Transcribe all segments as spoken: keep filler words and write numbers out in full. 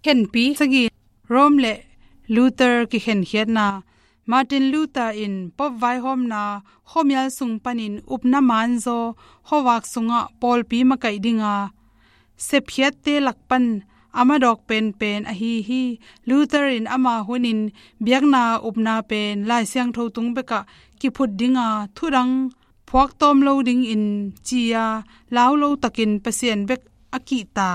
Khenpi sagih, Rome le Luther kikhenkhiatna. Martin Luther in Pope vaihawmna khuamial sung panin upna manzaw khuavak sungah pawlpi makaih dinga sepkhiatte lak pan a madawk penpen ahi hi. Luther in ama hunin biakna upna pen Lai Siangtho tung bekah kiphut dinga thudang phuaktawm lo dingin ci-a lau lo takin Pasian bek a kihta,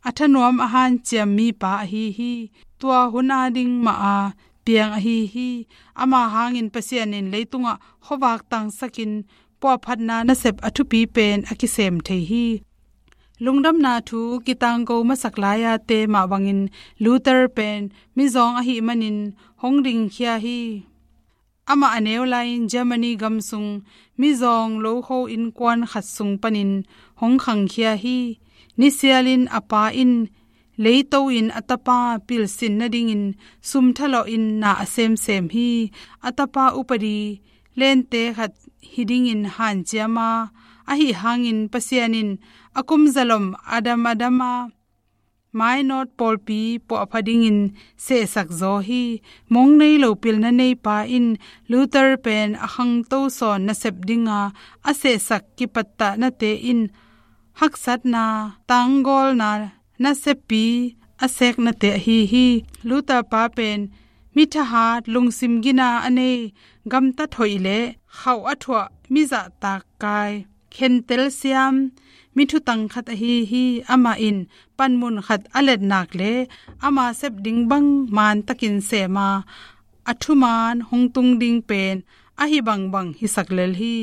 a thanuam a hanciam mipa ahi hi. Tua hun a ding mah a piang ahi hi. Ama hangin Pasian in leitungah khuavak tangsakin puahphatna nasep a thupi pen a kisem thei hi. Lungdamna thu kitangko masak lai-a te mah bangin Luther pen mizawng ahih manin hong dingkhia hi. Amah a neu lai-in Germany gam sung mizawng lokho innkuan khat sung panin hong khangkhia hi. Nisialin a pa in leito in a tapa pilsin nadingin sum thalawhin na a semsem hi. A tapa upadi lente khat hi dingin hanciam a, ahi hangin Pasian in a kum zalom a dam a dam a mainawt pawlpi puahpha dingin sehsak zaw hi. Mong nei lo pilna neipa in Luther pen a khangto sawn nasep dinga a sehsak kipattahnate in haksatna, tanggawlna naseppi a seknate ahi hi. Luther pa pen mi thahat, lungsim gina a nei, gamtat hoih le khauh a thuah, mi zahtak kai, khentel siam, mi thutang khat ahi hi. Amah in panmun khat a let nak le ama sep ding bang mantakin sem a, a thuman hong tung ding pen ahi bangbang hisak lel hi.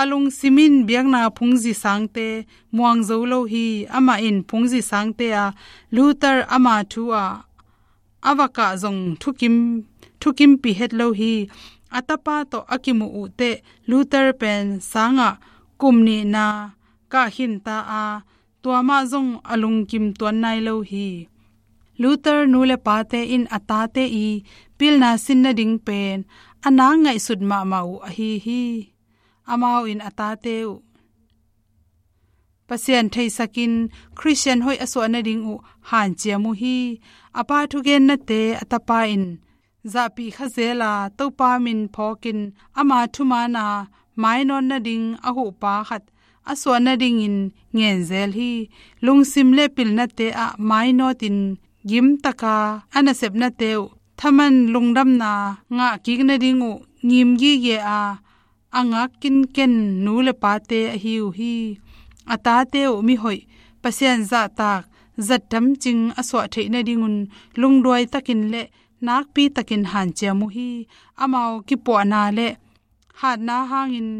A lungsim in biakna phungzi sangte muang zo lo hi. Amah in phungzi sangte a Luther ama thu a a vakah zong thukim, thukimpi het lo hi. A tapa tawh a kimuh uh teh Luther pen sangah kum nihna kah khinta a, tua mah zong a lungkim tuan nai lo hi. Luther nu le pate in a tate i pilna sin nading pen a nak ngaihsut mahmah uh ahi hi. Amau in a tate uh Pasian theisakin Khristian hoih a suah nading uh hanciam uh hi. A pa thugennate a tapa in zahpih kha zel a, Topa min phawkin ama thuman a mainawt nading a huhpa khat a suah nadingin ngen zel hi. Lungsim le pilnate ah mainawtin gimtaka a nasepnate uh thaman lungdamna ngah kik nading uh ngim gige a, a ngak kinken nu le pate ahi uh hi. A tate uh mihoih, Pasian zahtak, zat tamcing a suah theih nadingun lungduai takin le nakpi takin hanciam uh hi. Amau kipuahna le hatna hangin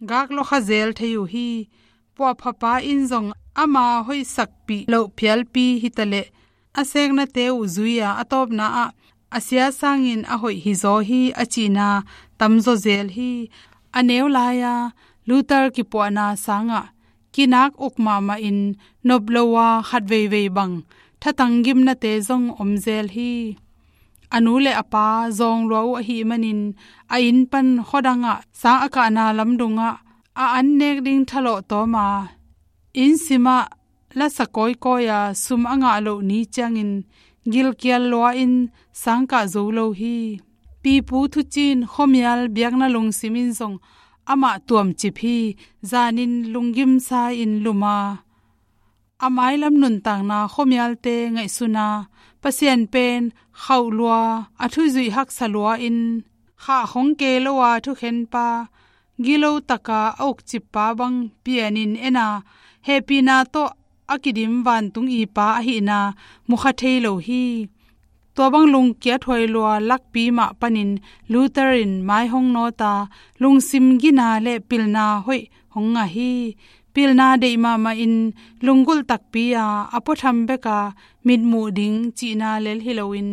gak lawkha zel thei uh hi. Puahphapa in zong ama hoihsakpih loh phialpi hitaleh a seknate uh zui-a a tawpna ah a sia sangin a hoih hizaw hi a cihna tamzaw zel hi. A neu lai-a Luther kipuahna sangah kinak uk mahmahin nop lo a khat veivei bang thatang gimnate zong om zel hi. A nu le a pa zawng lua uh ahih manin a inn pan khuadangah sang a kahna lamdungah a an nek ding thalawh tawm a, inn simah lasa kawikawi a sum a ngah loh ni ciangin gilkial lua-in sang kah zo lo hi. Pipu thuciin khuamial biakna lungsim in zong amah tuamcip hi. Zanin lunggimsa-in lum a, a mailam nuntakna khuamialte ngaihsun a, Pasian pen khauh lua, a thuzuih haksa lua-in khah khong kei lo a thukhenpa, gilo taka a ukcippa bang pianin en a, hehpihna tawh a kidim vantung ipa ahihna mukha thei lo hi. Tua bang lungkiat huai lua lakpi mah panin Luther in mai hong nawt a, lungsim gina le pilna hoih hong ngah hi. Pilna deih mahmahin lunggulh takpi a, a puatham beka mitmuh ding cihna lel hi loin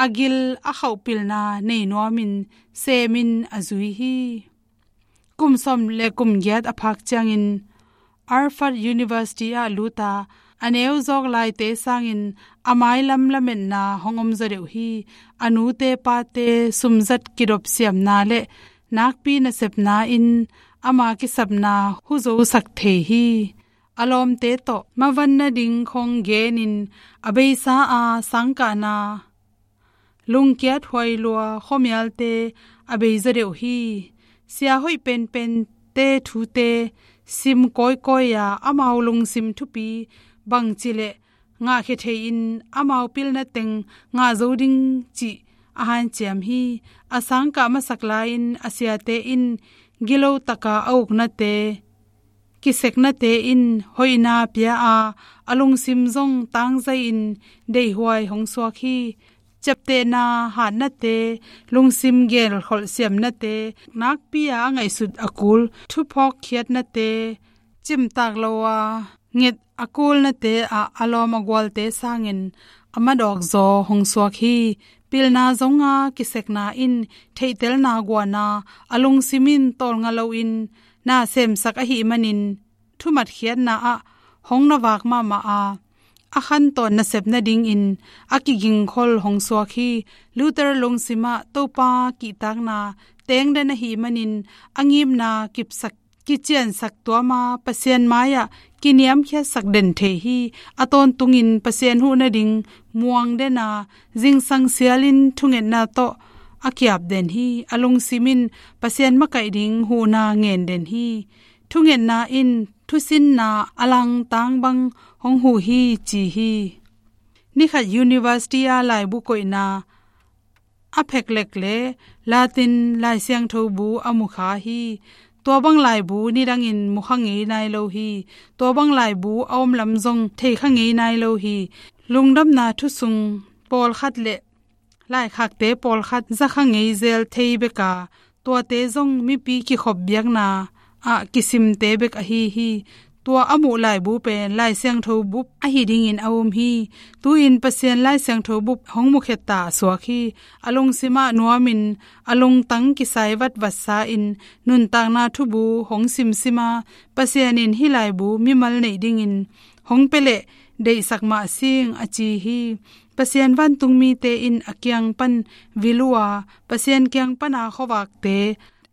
a gil a khauh pilna nei nuamin semin a zui hi. Kum sawm le kum giat a phak ciangin Harvard University ah lut a, a neu zawk laite sangin a mailam lametna hong om zaw deuh hi. A nute pate sumzat kidop siamna le nakpi nasepna in ama kisapna huzosak thei hi. a lawmte tawh mavan nading khong genin a beisa a sangkahna lungkiat huai lua khuamialte a bei zaw deuh hi. Sia hoih penpente thute sim kawikawi a, amau lungsim thupi bangci le ngahkhia thei-in amau pilna teng ngah zo ding cih a hanciam hi. A sangkah masak lai-in a siate in gilo taka a uknate, kiseknate in hoihna pia a, a lungsim zong tangzai-in deihhuai hong suak hi. Ciaptehna hatnate, lungsim gelkholh siamnate, nakpi a a ngaihsut a kul thuphawk khiatnate, cimtak lo a nget a kulnate ah a lawm a gualte sangin a madawk zaw hong suak hi. Pilna zonga kisekna in theihtelna guana, a lungsim in tawlnga loin na semsak ahih manin, thumatkhiatna ah hong na vak mahmah a, a khantawn nasep nadingin a kigingkhol hong suak hi. Luther lungsim ah Topa kihtakna tengden ahih manin, a ngimna kipsak, kiciansak tuama Pasian mai-ah kiniamkhiatsak den thei hi. A tawntungin Pasian huh nading muang den a, zingsang sialin thungetna tawh a kiap den hi. A lungsim in Pasian makaih ding huhna ngen den hi. Thungetna in thusinna a langtang bang hong huh hi ci hi. Nikhat university a laibu koihna a pheklek le Latin Lai Siangtho bu a mukha hi. Tua bang laibu nidangin mukha ngei nai lo hi. Tua bang laibu a omlam zong theikha ngei nai lo hi. Lungdamna thusung pawlkhat le laikhakte pawlkhat zakha ngei zel thei bek a, tuate zong mipi kikhop biakna ah kisimte bek ahi hi. Tua a muh laibu pen Lai Siangtho bup ahi dingin a um hi. Tu-in Pasian Lai Siangtho bup hong mukhia ta a suak hi. A lungsim ah nuamin, a lungtang kisai vatvat sa-in nuntakna thubu hong simsim a, Pasian in hih laibu mimal neih dingin hong pia leh deihsak mah sing a ci hi. Pasian vantungmite in a kiang pan vil uh a, Pasian kiang pana khuavakte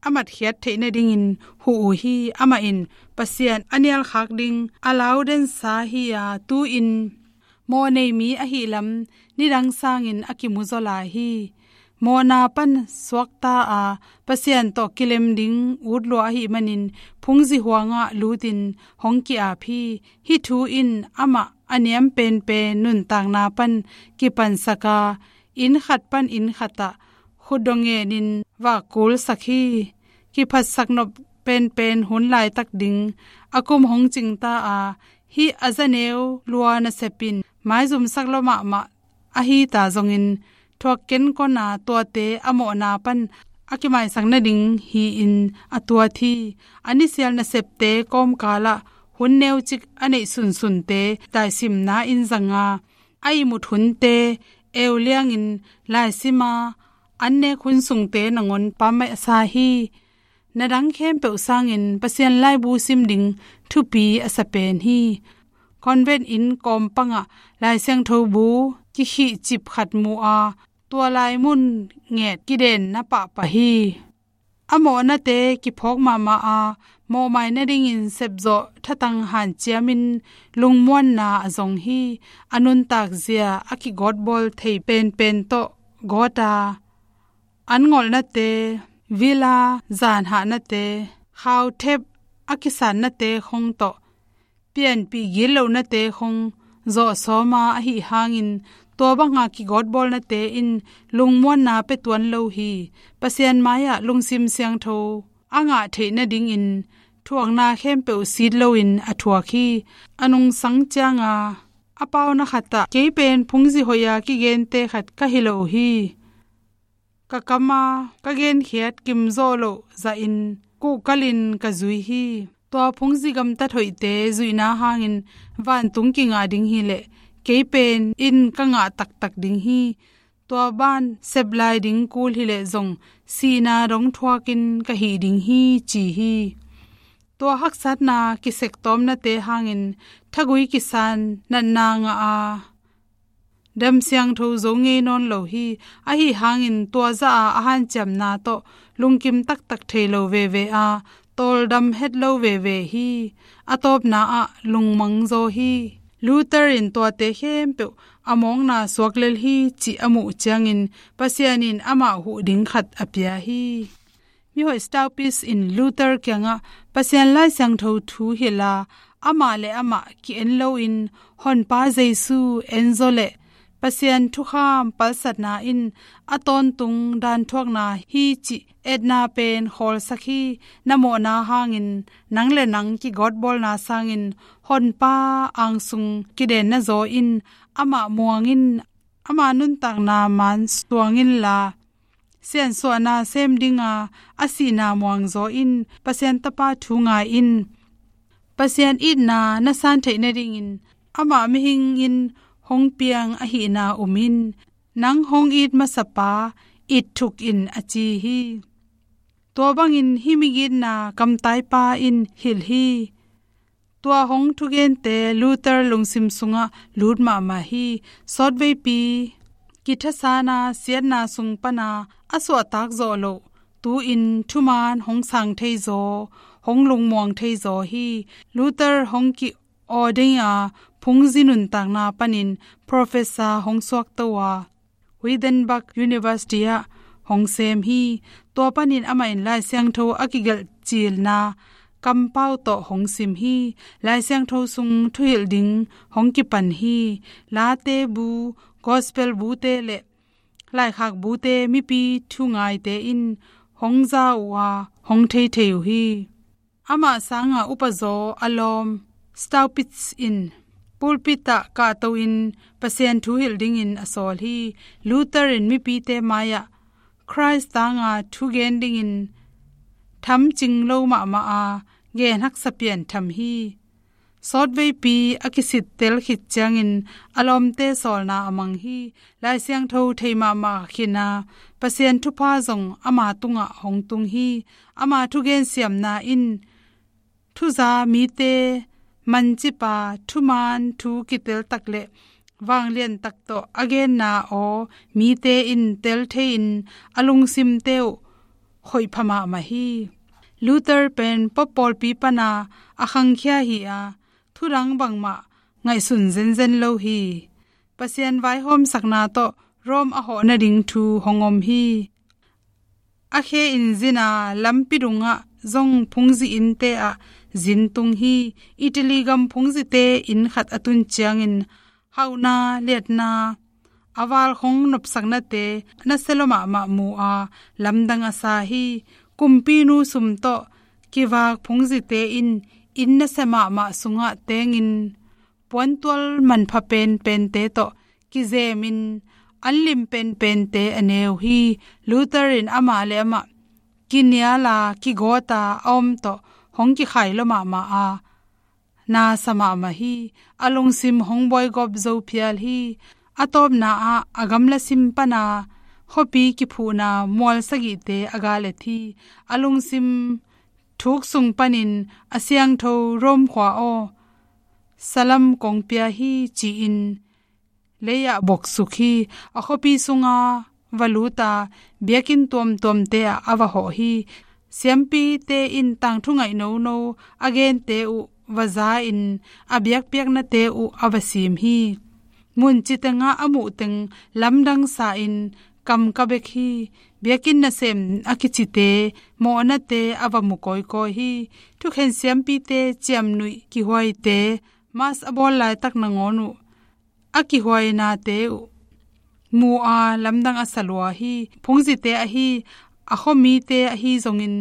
a matkhiat theih nadingin huh uh hi. Amah in Pasian a nialkhak ding a laudensa hi a, tu-in mawh nei mi ahih lam nidang sangin a kimuzaw lai hi. Mawhna pan suakta a, Pasian tawh kilem ding utlua ahih manin phungzi huangah lutin hong ki-ap hi. Hih thu in amah a niam penpen nuntakna pan kipansak a, inn khat pan inn khatah khutdawh ngenin vakkulsak hi. Kiphatsak nop penpen hun laitak ding a kum hong cingta a, hih a zaneu lua nasep in maizumsak lua mahmah ahi ta zongin, thuak kenkona tuate a mawhna pan a kimaisak nading hi-in a tuat hi. A nisial nasepte kawmkalah hun neucik a neih sunsunte laisimna in zanga, a ihmut hunte euliangin laisima, an nek hun sungte nangawn pammaih a sa hi. Na dang khempeuh sangin Pasian laibu sim ding thupi a sa pen hi. Convent inn kawmpangah Lai Siangtho bu kikhihcip khat mu a, tua lai mun nget kidenna pahpah hi. A mawhnate kiphawk mahmah a, mawhmai nadingin sepzawh thatang hanciamin lungmuanna a zong hi. A nuntak zia a kigawtbawl thei penpen tawh gawt a, an ngolhnate, villa zanhahnate, khauthep a kisannate khong tawh pianpih gitlohnate khong zawhsawma ahi hangin, tua banga kigawtbawlnate in lungmuanna pia tuan lo hi. Pasian mai-ah lungsim siangtho a ngah theih nadingin thuakna khempeuh sit loin a thuak hi. A nungsang cianga a pauna khatah, kei pen phungzi hoih a kigente khat ka hi lo hi. Ka kama ka genkhiat kimzawh loh zahin kuhkalin ka zui hi. Tua phungzi gamtat hoihte zuihna hangin vantung kingah ding hileh kei pen in ka ngah taktak ding hi. Tua ban sep lai ding kul hileh zong sihna dong thuakin ka hih ding hi, ci hi. Tua haksatna kisektawmnate hangin thagui kisan natna ngah a, dam siangtho zo ngei nawn lo hi. Ahi hangin tua zah a a hanciamna tawh lungkim taktak thei lo veve a, tawldam het lo veve hi. A tawpna ah lungmang zaw hi. Luther in tuate khempeuh a mawkna suak lel hi cih a muh ciangin Pasian in amah huh ding khat a pia hi. Mihoih Staupitz in Luther kiangah Pasian Lai Siangtho thu hilh a, amah le amah ki-en loin Honpa Jesu en zaw leh Pasian thukham palsatna in a tawntung danthuakna hi cih etna pen khawlsak hi. Na mawhna hangin nang le nang kigawtbawlna sangin Honpa angsung kidenna zaw in amah muang in, ama nuntakna man suang inla, siansuahna sem dinga a sihna muang zaw in, Pasian Tapa thu ngai in. Pasian itna na san theih nadingin amah mihing in hong piang ahihna um in, nang hong it masapa it thuk in a ci hi. Tua bangin hih migitna kamtaipa in hilh hi. Tua hong thugente Luther lungsim sungah lut mahmah hi. Sawtveipi kithasana siatna sung pana a suahtak zawh loh tu-in thuman hong sang thei zaw, hong lungmuang thei zaw hi. Luther hong ki-aw dinga phungzi nuntakna panin professor hong suakto a, Wittenberg University ah hong sem hi. Tua panin amah in Lai Siangtho a kigelh cilna kampau tawh hong sim hi. Lai Siangtho sung thuhilh ding hong kipan hi. Late bu, gospel bute le laikhak bute mipi thungaite in hong za uh a, hong theithei uh hi. Amah sanga upazaw a lawm Staupitz in pulpit ah kahto in Pasian thu hilh dingin a sawl hi. Luther in mipite mai-ah Khrist tanga thugen dingin thamcing lo mahmah a, gen haksa pian tham hi. Sawtveipi a kisittel khit ciangin a lawmte sawlna a mang hi. Lai Siangtho thei mahmah khina Pasian thupha zong ama tungah hong tung hi. Ama thugen siamna in thuza mite mancipa thuman thu kiteltak le vangliantak tawh a genna aw mite in tel thei-in a lungsimte uh khoihpha mahmah hi. Luther pen Pope pawlpi pana a khangkhia hi a, thudang bangmah ngaihsun zenzen lo hi. Pasian vaihawmsakna tawh Rome a hawh nading thu hong om hi. A khe in zina lampi dungah zong phungzi innte ah zin tung hi. Italy gam phungzite inn khat a tun ciangin hauhna liatna a valkhong nopsaknate nasia lua mahmah mu a, lamdang a sa hi. Kumpinu sum tawh kivak phungzite in inn nasia mahmah sungah tengin puantual manpha penpente tawh kizemin an lim penpente a ne uh hi. Luther in amah le amah kiniala kigawta a om tawh hong kikhai lua mahmah a, na sa mahmah hi. A lungsim hong buaigawp zo phial hi. A tawpna ah a gamla sim pana khuapi kiphuhna mual sagihte a galet hi. A lungsim thuk sung panin, "A siangtho Rome khua aw, salam kong pia hi," ci-in lei-ah boksuk hi. A khuapi sunga va lut a, biakinn tuamtuamte ah a va hawh hi. Siampite in tangthu ngaih nono a gente uh va za-in, a biakpiaknate uh a va sim hi. Mun citengah a muh teng lamdang sa-in kam ka bek hi. Biakinn nasem a kicite mawhnate a va mu kawikawi hi. Thukhen siampite ciamnuih kihuaite, Mass a bawl laitak nangawn uh a kihuainate uh mu a, lamdang a sa lua hi. Phungzite ahi, a khuamite ahi zongin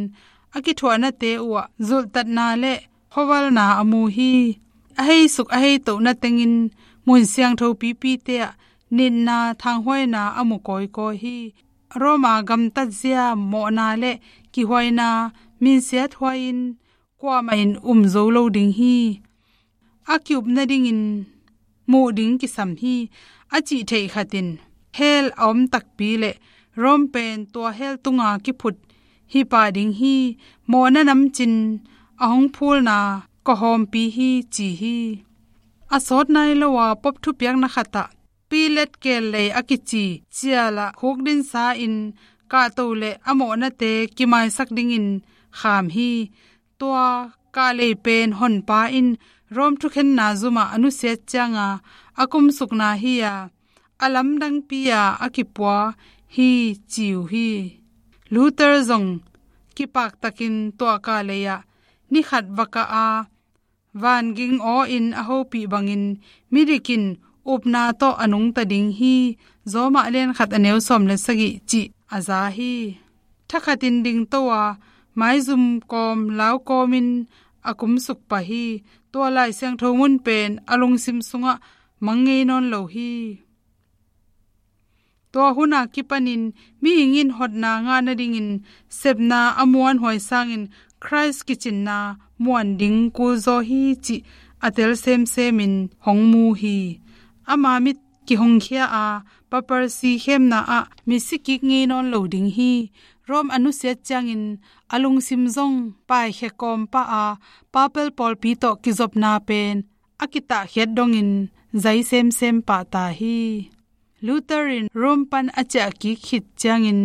a kithuahnate uhah zulhtatna le khuavalna a mu hi. A heisuk a heitohna tengin mun siangtho pipite ah nitna thanghuaina a mu kawikawi hi. Roma gamtatzia mawhna le kihuaina minsiat huai-in kuamah in um zo lo ding hi. A ki-up nadingin muh ding kisam hi. A cih theih khat in hell a om takpi le Rome pen tua hell tunga kiphut hi pah ding hi. Mawhna namcin a hong phulna kawhawmpi hi, ci hi. A sawt nai lo a Pope thupiakna khatah Pilate keellei a kici cialah khukdinsa-in kahto le a mawhnate kimaisak dingin kham hi. Tua kahlei pen honpa in Rome thukhenna zumah a nusiat cianga a kumsukna hi-a, a lamdangpi-a a kipua hi ci uh hi. Luther zong kipaktakin tua kahlei-ah ni khat va kah a, vanging aw-in a hopih bangin midik in upna tawh a nungta ding hi. Rome a lian khat a neu sawm le sagih cih a za hi. Thakhatin dingto a, maizum kawm lau kawmin a kumsuk pah hi. Tua Lai Siangtho mun pen a lungsim sungah mang ngei nawn lo hi. Tua hun a kipanin mihing in hotna ngah nadingin sepna a muanhuai sangin Khrist kicinna muan ding kulzaw hi cih a tel semsemin hong mu hi. Ama mit kihongkhia a, papacy khemna ah misi kik ngei nawn lo ding hi. Rome a nusiat ciangin a lungsim zong paikhia kawm pah a, papal pawlpi tawh kizopna pen a kitahkhiat dongin zai semsem pah ta hi. Luther in Rome pan a ciah kik khit ciangin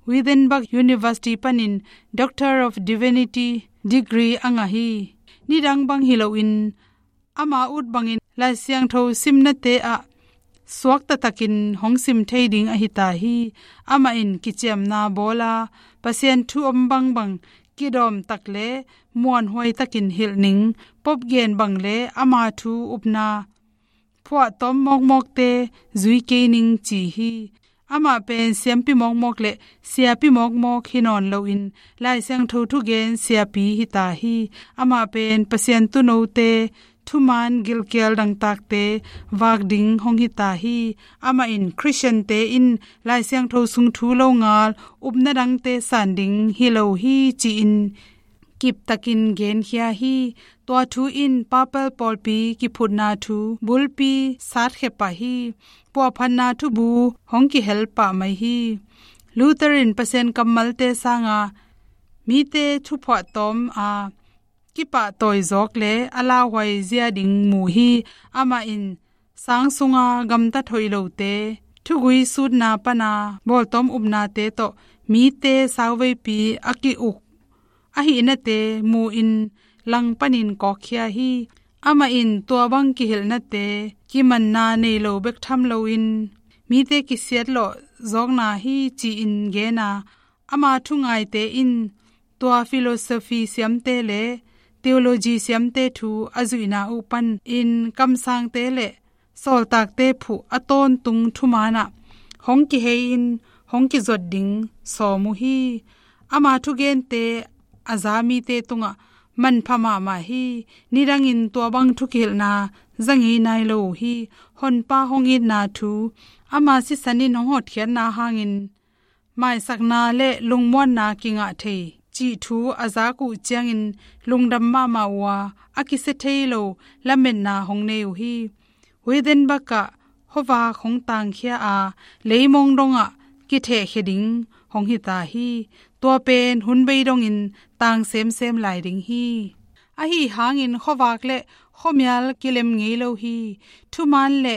Wittenberg University panin Doctor of Divinity degree a ngah hi. Nidang bang hi loin ama ut bangin Lai Siangtho simnate ah suakta takin hong sim thei ding ahi ta hi. Amah in kiciamna bawl a, Pasian thu om bangbang kidawm tak le muanhuai takin hilh ning, pop gen bang le ama thu upna phuahtawm mawkmawkte zui kei ning ci hi. Amah pen siampi mawkmawk le siapi mawkmawk hi nawn loin Lai Siangtho thugen siapi hi ta hi. Amah pen Pasian tuunote thuman gilkial dangtakte vak ding hong hi ta hi. Amah in Khristiante in Lai Siangtho sung thu longal upna dangte san ding hi lo hi ci-in kiptakin genkhia hi. Tua thu in papal pawlpi kiphutna thu bulpi satkhia pah hi. Puahphatna thubu hong kihel pah mai hi. Luther in Pasian kammalte sanga mite thuphuahtawm a kipahtawi zawk le a lauhuai zia ding mu hi. Amah in sang sunga gamtat hoih lote, thugui sutna pana bawltawm upnate tawh mite sauveipi a ki-uk ahihnate mu-in langpanin kawkkhia hi. Amah in tua bang kihilhnate kimanna nei lo bek tham loin mite kisiat lawh zawkna hi ci-in gen a, ama thungaite in tua philosophy siamte le theology siamte thu a zuihna uh panin kamsangte le sawltakte phuh a tawntung thumanah hong kihei-in hong kizuat ding sawm uh hi. Ama thugente a za mite tungah manpha mahmah hi. Nidangin tua bang thu kihilhna za ngei nai lo uh hi. Honpa hong itna thu, ama sisan in hong hotkhiatna hangin maisakna le lungmuanna kingah thei cih thu a zak uh ciangin lungdam mahmah uh a, a kisia thei lo lametna hong nei uh hi. Wittenberg ah khuavak hong tangkhia a, leimong dongah kithehkhia ding hong hi ta hi. Tua pen hun bei dongin tang semsem lai ding hi. Ahi hangin khuavak le khuamial kilem ngei lo hi. Thuman le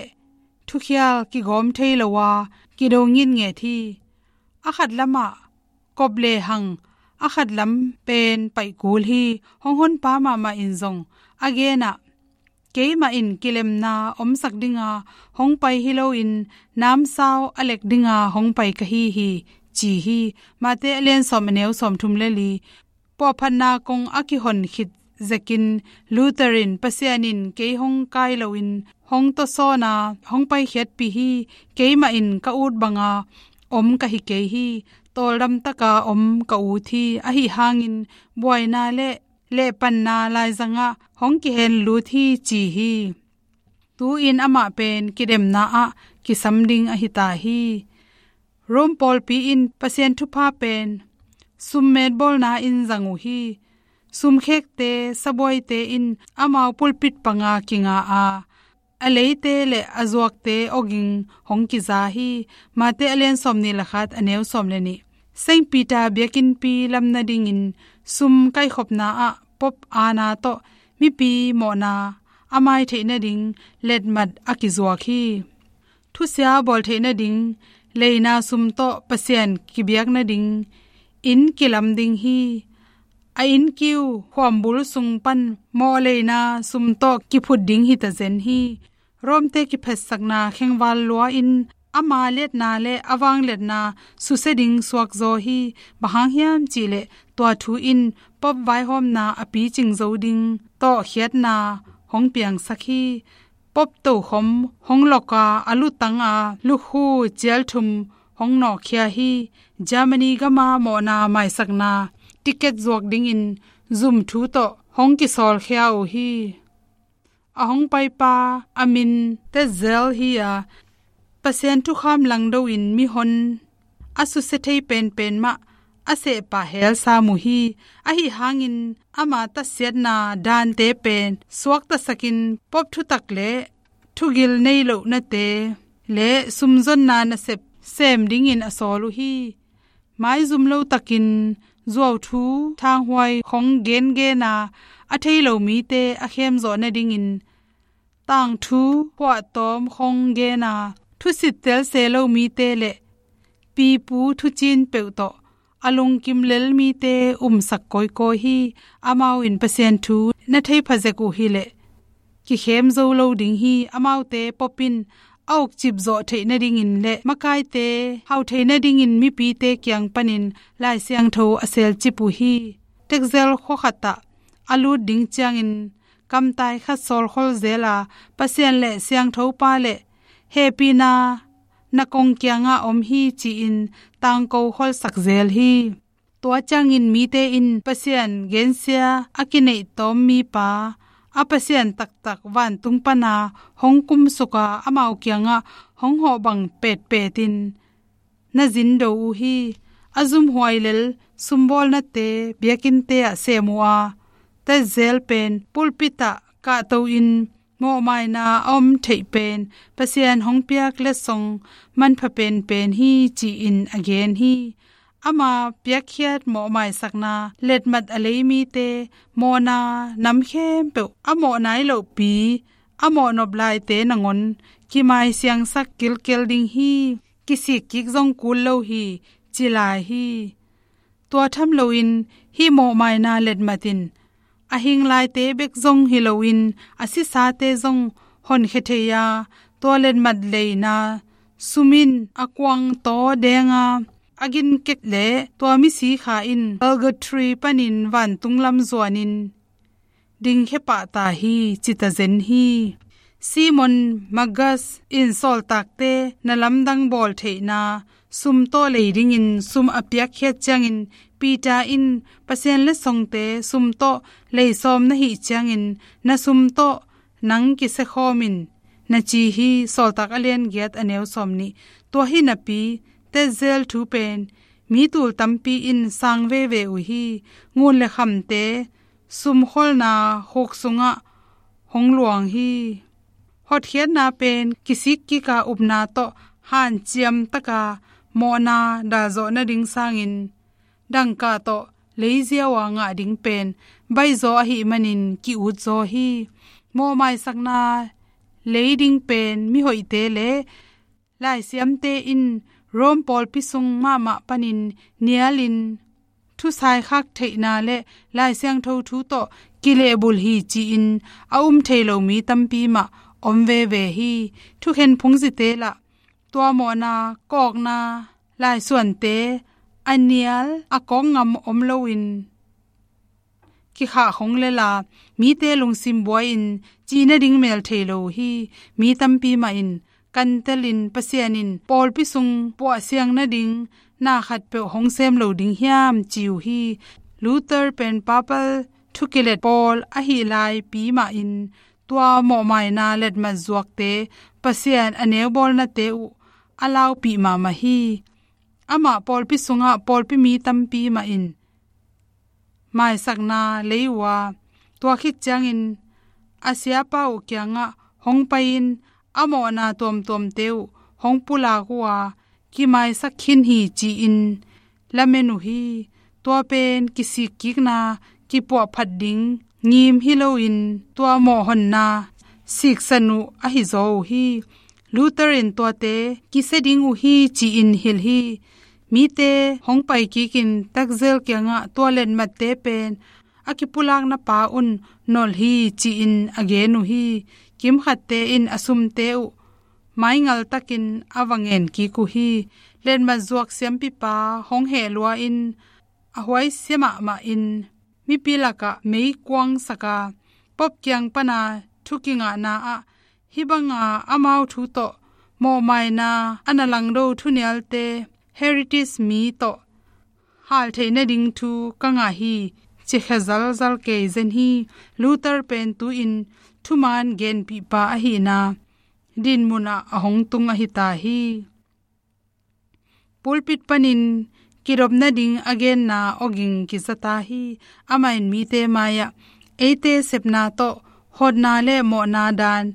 thukhial kigawm thei lo a, kido ngitnget hi. A khat lamah kop le hang, a khat lam pen paih kul hi. Hong honpa mahmah in zong a genah, keimah in kilemna omsak dinga hong pai hi loin namsau a lek dinga hong pai ka hi hi, ci hi. Mate a lian sawm a neu sawmthum le li. Puahphatna kong a kihon khit zekin Luther in Pasian in kei hong kai loin hong tawsawn a, hong paikhiatpih hi. Keimah in ka ut banga om ka hi kei hi. Tawldam taka om ka ut hi. Ahi hangin buaina le lehpanna laizangah hong kihen lut hi, ci hi. Tu-in amah pen kidemna ah kisam ding ahi ta hi. Rome pawlpi in Pasian thupha pen summetbawlna in zang uh hi. Sumkhekte, sabuaite in amau pulpit panga kinga a, a leite le a zuakte awging hong kiza hi. Mate a lian sawm nih le khat a neu sawm le nih. Saint Peter biakinnpi lam nadingin sum kaikhopna ah Pope Anna tawh mipi mawhna a mai theih nading letmat a kizuak hi. Thusia bawl theih nading leina sum tawh Pasian kibiak nading inn kilam ding hi. a innkiu khuambul sung pan mawhleina sum tawh kiphut ding hi tazen hi. Rome-te kiphatsakna khengval lua-in ama liatna le a vangliatna susia ding suakzaw hi. Bang hang hiam cihleh tua thu in Pope vaihawmna a picing zo ding tawh khiatna hong piangsak hi. Pope tokhom hong lawk a, a lutang a lukhu cialthum hong nawkkhia hi. Germany gama mawhna maisakna ticket zuak dingin zum thu tawh hong kisawlkhia uh hi. A hong paipa a min Tetzel hi a, Pasian thukham langdo-in mihon a susia thei penpen mah a sehpah hel sam uh hi. Ahi hangin ama tatsiatna dante pen suaktasakin Pope thutak le thugil nei lohnate le sumzonna nasep sem dingin a sawl uh hi. Maizum lo takin zuauthu thanghuai khong gengen a, a thei lo mite a khemzawh nadingin tangthu khuahtawm khong gen a, thusit tel se lo mite le pipu thucin peuh tawh a lungkim lel mite umsak kawikawi hi. Amau in Pasian thu na thei phazek uh hileh kikhem zo lo ding hi. Amaute Pope in a ukcip zawh theih nadingin le makaite hau thei nadingin mipite kiang panin Lai Siangtho a selcip uh hi. Tetzel khua khatah a lut ding ciangin kamtai khat sawlkhol zel a, Pasian le Siangthopa le hehpihna na kong kiangah om hi ci-in tangko kholsak zel hi. Tua ciangin mite in Pasian gensia a kineih tawm mipa, a Pasian taktak vantung pana hong kumsuk a, amau kiangah hong hawh bang petpetin na zindo uh hi. A zumhuai lel sumbawlnate biakinte ah sem uh a, Tetzel pen pulpit ah kahto-in mawhmaina a om theih pen Pasian hong piak letsong manpha penpen hi ci-in a gen hi. Ama piakkhiat mawhmaisakna letmat a lei mite mawhna nam khempeuh a mawh nai lohpi a mawh nop laite nangawn kimaisiangsak kilkel ding hi. Kisikkik zong kul lo hi, ci lai hi. Tua tham loin hih mawhmaina letmat in a hing laite bek zong hi loin a sisate zong honkhia thei a, tua letmat leina sum in a kuang taw deng a, a ginkek le tua misi kha in purgatory panin vantung lam zuanin dingkhia pah ta hi, ci ta zen hi. Simon Magus in sawltakte na lamdang bawl theihna sum tawh lei dingin sum a piakkhiat ciangin Peter in Pasian letsongte sum tawh lei sawm na hih ciangin na sum tawh nang kisia khawm in, na ci hi. Sawltak a lian giat a neu sawm nih. Tua hi napi Tetzel thu pen mi tul tampi in sang veve uh hi. Ngun le khamte sumkholna khuk sungah hong luang hi. Hotkhiatna pen kisikkik a upna tawh hanciam taka mawhna dalzawh nading sangin dangka tawh leiziau a ngah ding pen baihzaw ahih manin ki-utzaw hi. Mawhmaisakna lei ding pen mihoihte le laisiamte in Rome pawlpi sung mahmah panin nialin thusaikhak theihna le Lai Siangtho thu tawh kilehbulh hi ci-in a um thei lo mi tampi mah om veve hi. Thukhen phungzite lah tua mawhna kawkna laisuante a nial a kawk ngam om loin kikhah khong lel a, mite lungsim buai-in ci nading mel thei lo hi. Mi tampi mah in kantelin Pasian in pawlpi sung puahsiang nading na khatpeuh hong sem lo ding hiam ci uh hi. Luther pen papal thukilet pawl ahih laipi mah in tua mawhmaina letmat zuakte Pasian a neubawlnate uh a laupih mahmah hi. Amah pawlpi sungah pawlpi mi tampi mah in maisakna lei uh a, tua khit ciangin a siapa uh kiangah hong pai-in a mawhna tuamtuamte uh hong pulak uh a, kimaisak khin hi ci-in lamen uh hi. Tua pen kisikkikna kipuahphat ding ngim hi loin tua mawhhonna siksan uh ahi zaw uh hi. Luther in tuate kisia ding uh hi ci-in hilh hi. Mite hong pai kikin takzel kiangah tua letmatte pen a kipulakna pa un nolh hi ci-in a gen uh hi. Kimkhatte in a sumte uh maingal takin a va ngen kik uh hi. Letmat zuak siampipa hong heh lua in a huaisia mahmah in mipi lakah meikuang saka Pope kiang pana thu kingahna ah hih banga amau thu tawh mawhmaina a na langdo thunialte, heritage mi tawh hal theih nading thu ka ngah hi, ci khia zalzal kei zen hi. Luther pen tu-in thumaan genpihpa ahihna dinmun ah a hong tung ahi ta hi. Pulpit panin kidop nading a genna awging kiza ta hi. Amah in mite mai-ah eite sepna tawh hotna le mawhna daan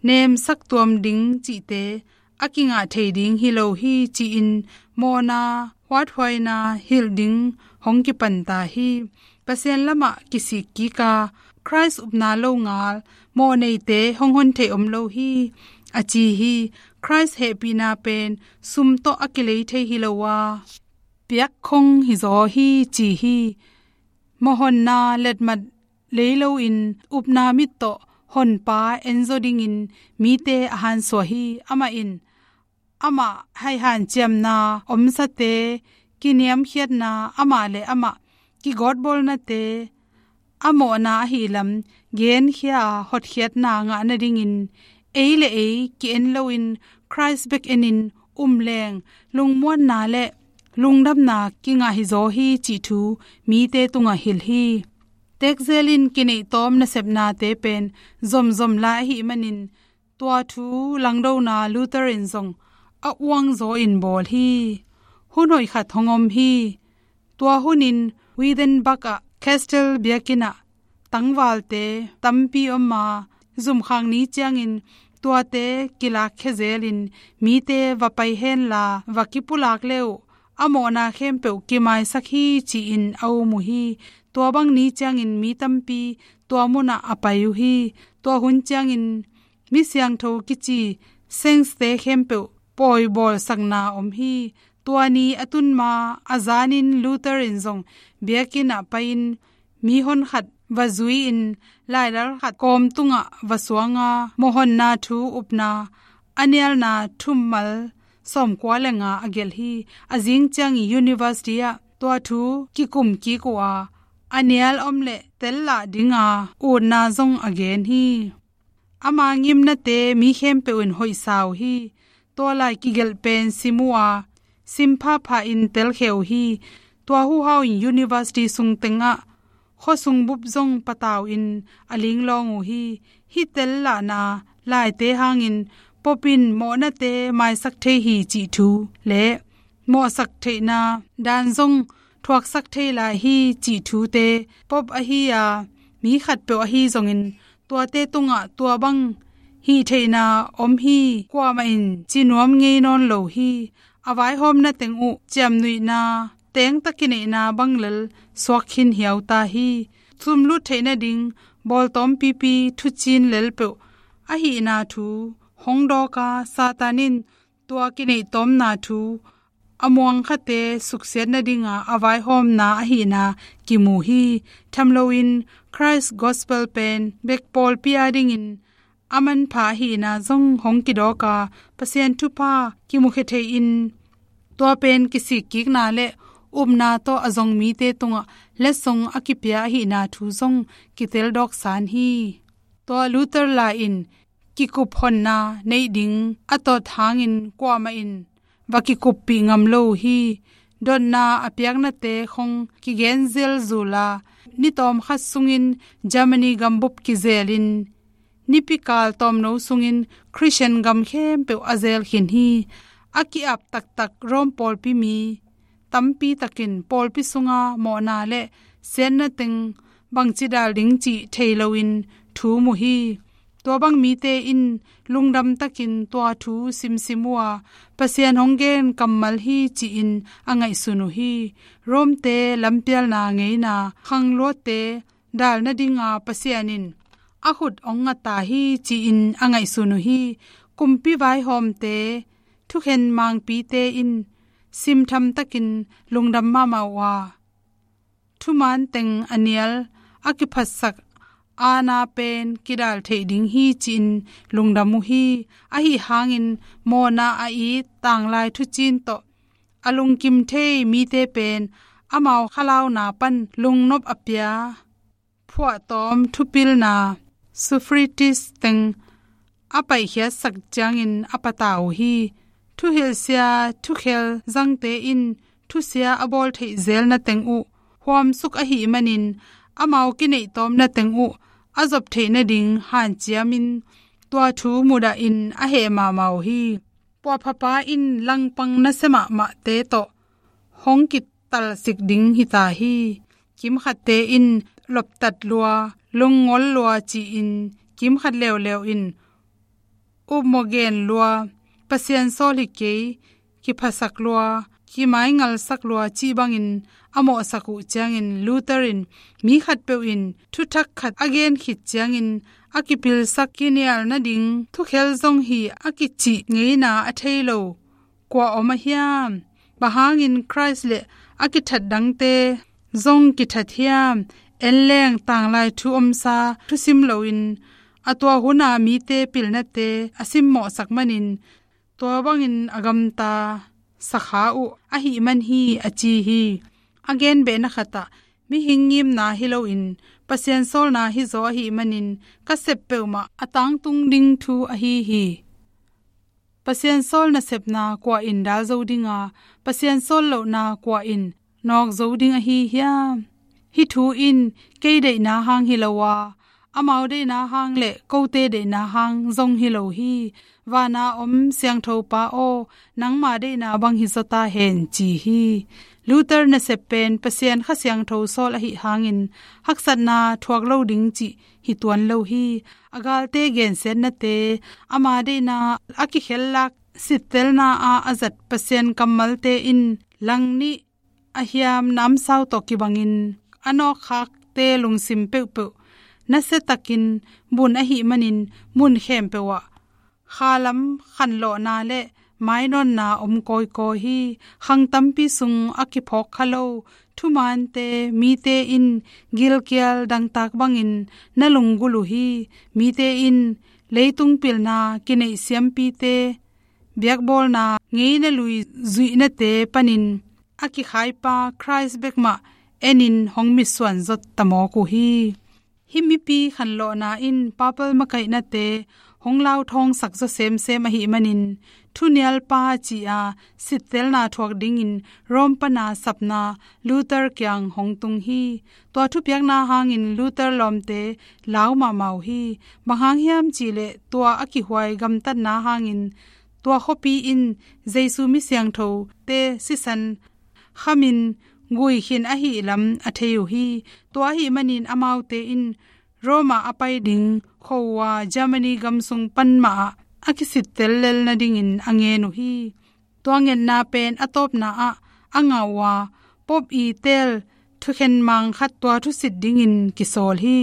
nemsak tuam ding cihte a kingah thei ding hi lo hi ci-in mawhna huathuaina hilh ding hong kipan ta hi. Pasian lamah kisik kik a Khrist upna lo ngal mawhneite hong hon thei om lo hi, a ci hi. Khrist hehpihna pen sum tawh a kilei thei hi lo a, piakkhong hizaw hi ci hi. Mawhhonna letmat lei loin upna mit tawh honpa enzaw dingin mite a hansuah hi. Amah in amah haihanciamna omsate, kiniamkhiatna, amah le amah kigawtbawlnate a mawhna ahi lam genkhia a hotkhiatna ngah nadingin ei le ei ki-en loin Khrist bek enin um leng lungmuanna le lungdamna kingah hizaw hi cih thu mite tungah hilh hi. Tekzel in kineih tawm nasepnate pen zomzom lai ahih manin tua thu langdona Luther in zong a uangzaw in bawl hi. Hun hoih khat hong om hi. Tua hunin Wittenberg ah Castel biakinn ah tangvalte tampi om a, zumkhak ni ciangin tuate kilakkhia zelin mite va pai henla va kipulak le uh a mawhna khempeuh kimaisak hi ci-in a um uh hi. Tua bang ni ciangin mi tampi tua munah a pai uh hi. Tua hun ciangin mi siangtho kici saints-te khempeuh pawibawlsakna om hi. Tua ni a tun ma a zanin Luther in zong biakinn ah pai-in mihon khat va zui-in lailal khat kawm tungah va suanga mawhhonna thu upna a nialna thummal sawmkua le nga a gelh hi. A zing ciangin university ah tua thu kikum kik uh a, a nial om le tel lah dinga utna zong a gen hi. Ama ngimnate mi khempeuh in hoihsa uh hi. Tua lai kigelh pen sim uh a, sim phapha in telkhia uh hi. Tua huhau in university sung tengah khuasung bup zong patau in a linglawng uh hi. Hih tel lahna laite hangin Pope in mawhnate maisak thei hi cih thu le mawhsak theihna daan zong thuaksak thei lai hi cih thute, Pope ahi a mi khatpeuh ahi zongin tuate tungah tua bang hih theihna om hi kuamah in ci nuam ngei nawn lo hi. A vaihawmna teng uh ciamnuihna tengtak kineihna bang lel suak khin hiau ta hi. Sumlut theih nading bawltawm pipi thucin lelpeuh ahihna thu hong dawk a, Satan in tua kineih tawmna thu a muangkhate suksiat nadinga a vaihawmna ahihna kimu hi. Tham loin Christ Gospel pen bek pawlpi adingin a manpha ahihna zong hong kidawk a, Pasian thupha kimukhia thei-in tua pen kisikkikna le upna tawh a zong mite tungah letsong a kipia ahihna thu zong kiteldawk san hi. Tua Luther lai in kikup honna neih ding a tawt hangin kuamah in va kikuppih ngam lo uh hi. Dotna a piaknate khong kigen zelzul a, ni tawmkhat sungin Germany gambup kizelin nipikal tawmno sungin Christian gam khempeuh a zel khin hi. A ki-ap taktak Rome pawlpi mi tampi takin pawlpi sunga mawhna le siatna teng bangci dal ding cih thei loin thu mu hi. Tua bang mite in lungdam takin tua thu simsim uh a, Pasian hong gen kammal hi ci-in a ngaihsun uh hi. Rome-te lampialna ngeina khangluatte dal nadinga Pasian in a khut hong nga ta hi ci-in a ngaihsun uh hi. Kumpi vaihawmte, thukhen mangpite in simtham takin lungdam mahmah uh a, thuman teng a nial a kiphatsak aana pen kidal theih ding hi ci-in lungdam uh hi. Ahi hangin mawhna a it tanglai thuciin tawh a lungkim thei mite pen amau khalauna pan lungnop a pia phuahtawm thupilna, sophronitis teng a paikhiatsak ciangin a pata uh hi. Thuhilhsia thukhel zangte in thusia a bawl theih zelna teng uh huamsuk ahih manin amau kineihtawmna teng uh a zop theih nading hanciamin tua thu mudahin a heh mahmah uh hi. Puahphapa in langpang nasia mahmahte tawh hong kitalsik ding hita hi. Kimkhatte in loptat lua, lungngol lua ci-in, kimkhat leuleu in upmawh gen lua, Pasian sawl hi kei, kiphasak lua, kimaingalsak lua cih bangin a mawhsak uh ciangin Luther in mi khatpeuh in thuthak khat a gen khit ciangin a kipilsak kinial nading thukhel zong hi a kicih ngeina a thei lo kua om a hiam? Bang hangin Khrist le a kithat dangte zong kithat hiam? En leng tanglai thu omsa thusim loin a tua huna mite pilnate a simmawhsak manin tua bangin a gamta sakha uh ahih man hi a ci hi. A gen behna khatah mihing ngimna hi loin Pasian sawlna hizaw ahih manin ka sep peuhmah a tangtung ding thu ahi hi. Pasian sawl nasepna kua in dal zo dinga, Pasian sawl lohna kua in nawk zo ding ahi hiam? Hih thu in kei deihna hang hi lo a, amau deihna hang le kote deihna hang zong hi lo hi. Vana om siangtho Pa aw, nangma deihna bang hi zaw ta hen ci hi. Luther nasep pen Pasian Kha Siangtho sawl ahih hangin haksatna thuak lo ding cih hi tuan lo hi. A galte gensiatnate, ama deihna a kikhellak sittelna ah a zat Pasian kammalte in langnih a hiam namsau tawh kibangin a nawkkhakte lungsim peuhpeuh nasiatakin bun ahih manin mun khempeuh ah khalam khanlawhna le mainawnna om kawikawi hi. Khang tampi sung a kiphawk kha lo thumante mite in gilkial dangtak bangin na lunggulh uh hi. Mite in leitung pilna kineih siampite biakbawlna ngeina lui zuihnate panin a kikhaipa Khrist bek mah enin hong mitsuan zot ta mawk uh hi. Hih mipi khanlawhna in papal makaihnate hong lauthawngsak zaw semsem ahih manin thunialpa ci-a sittelna thuak dingin Rome pana sapna Luther kiang hong tung hi. Tua thupiakna hangin Luther lawmte lau mahmah uh hi. Bang hang hiam cihleh tua a kihuai gamtatna hangin tua khuapi in Jesu mi siangthote sisan khamin gui khin ahih lam a thei uh hi. Tua ahih manin amaute in Rome ah a pai ding khuaua Germany gam sung pan mah ah a kisittel lel nadingin a ngen uh hi. Tua ngetna pen a tawpna ah a ngah uh a, Pope i teel thukhen mang khat tua thusit dingin kisawl hi.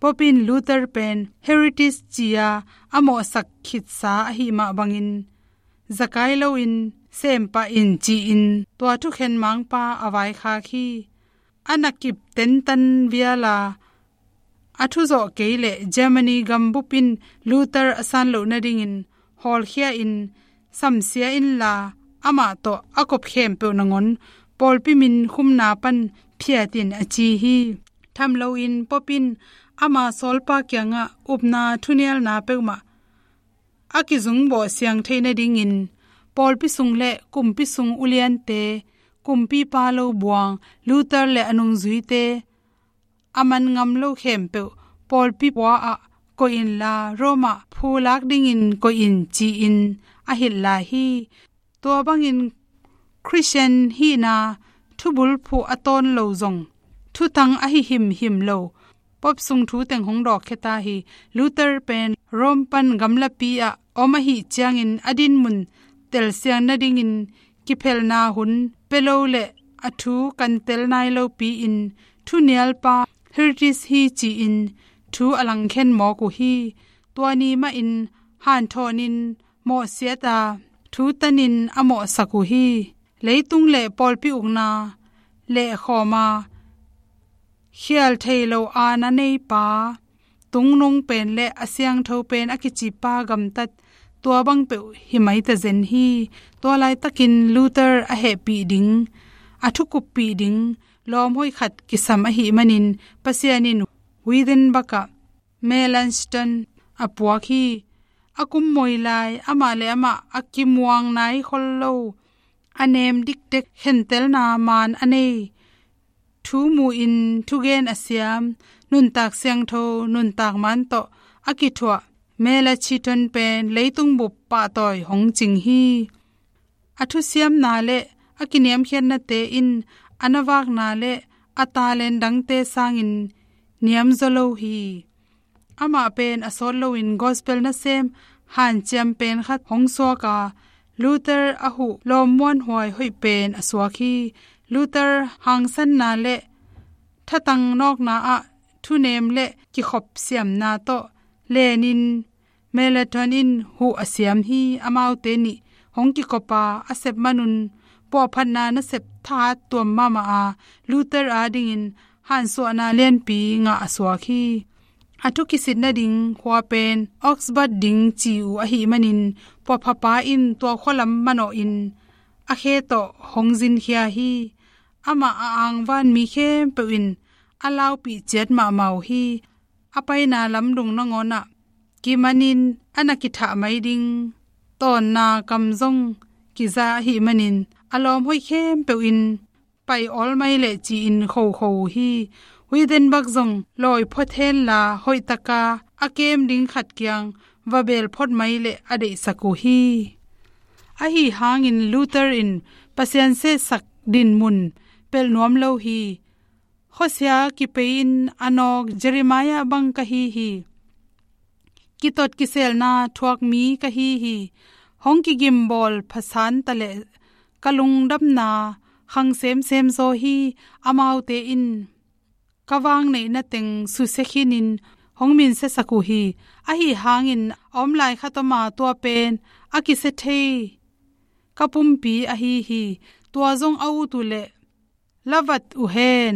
Pope in Luther pen heretic ci-a a mawhsak khitsa ahih mah bangin zakai loin sem pah in ci-in tua thukhen mangpa a vaikhak hi. A na kip tentan viala a thuzawh kei leh Germany gambup in Luther a san loh nadingin hawlkhia in samsia inla amah tawh a kop khempeuh nangawn pawlpi min khumna pan phiat in a ci hi. Tham loin Pope in ama sawlpa kiangah upna thunialna peuhmah a kizungbawh siang theih nadingin pawlpi sung le kumpi sung uliante, kumpipa lo buang Luther le a nungzuite a man ngam lo khempeuh pawlpi pua ah koih inla Rome ah phulak dingin koih in ci-in a hilh lai hi. Tua bangin Khristian hihna thubulphuh a tawn lo zong thutang ahi himhim lo Pope sung thu teng hong dawkkhia ta hi. Luther pen Rome pan gamlapi ah om ahih ciangin a dinmun telsiang nadingin kiphelhna hun pia lo le a thu kan tel nai lopi-in thunialpa heretic hi ci-in thu a langkhen mawk uh hi. Tua ni mahin hanthawnin mawhsiat a thu tanin a mawhsak uh hi. Leitung le pawlpi ukna lehkhawm a, khial thei lo aana neipa, tungnung pen le a siangtho pen a kicipa gamtat, tua bang peuh hi mai ta zen hi. Tua laitakin Luther a hehpih ding, a thukuppih ding lawm hoih khat kisam ahih manin Pasian in Wittenberg ah Melanchthon a puak hi. A kum moi lai amah le amah a kimuang nai khol lo, a nem diktek, khentelna maan a nei, thu mu-in thugen a siam, nuntak siangtho, nuntak maan tawh a kithuah Melanchthon pen leitung bup pahtawi hong cing hi. A thusiamna le a kiniamkhiatnate in a navakna le a talent dangte sangin niamzaw lo hi. Amah pen a sawt loin gospel nasem hanciam pen khat hong suak a, Luther a huh lawm muanhuai hoih pen a suak hi. Luther hangsanna le thatang nawkna ah thunem le kikhop siamna tawh lenin Melanchthon in huh a siam hi. Amaute nih hong kikop a, a sep manun puahphatna nasep thahat tuam mahmah a, Luther adingin hansuahna lianpi ngah a suak hi. A thu kisit nading khua pen Augsburg ding ci uh ahih manin, puahphapa in tua khualam manawhin a khe tawh hong zinkhia hi. Amah a angvan mi khempeuh in a laupih ciat mahmah uh hi. A paina lamdung nangawnah kimanin a na kithah mai ding tawnna kam zong kiza ahih manin, a lawm hoih khempeuh in pai awl mai leh ci-in khokho uh hi. Wittenberg zong lawi phot henla, hoihtaka a kem ding khat kiang va bel phot mai leh a deihsak uh hi. Ahi hangin Luther in Pasian sehsak dinmun pelh nuam lo hi. Khuasia kipei-in a nawk Jeremiah bang ka hi hi. Kitot kiselna thuak mi ka hi hi. Hong kigimbawl phasan taleh ka lungdamna khang semsem zaw hi. Amaute in ka vangneihna teng susia khinin hong minsiasak uh hi. Ahi hangin a om lai khat om a, tua pen a kisia thei ka pumpi ahi hi. Tua zong a ut uh leh la vat uh hen.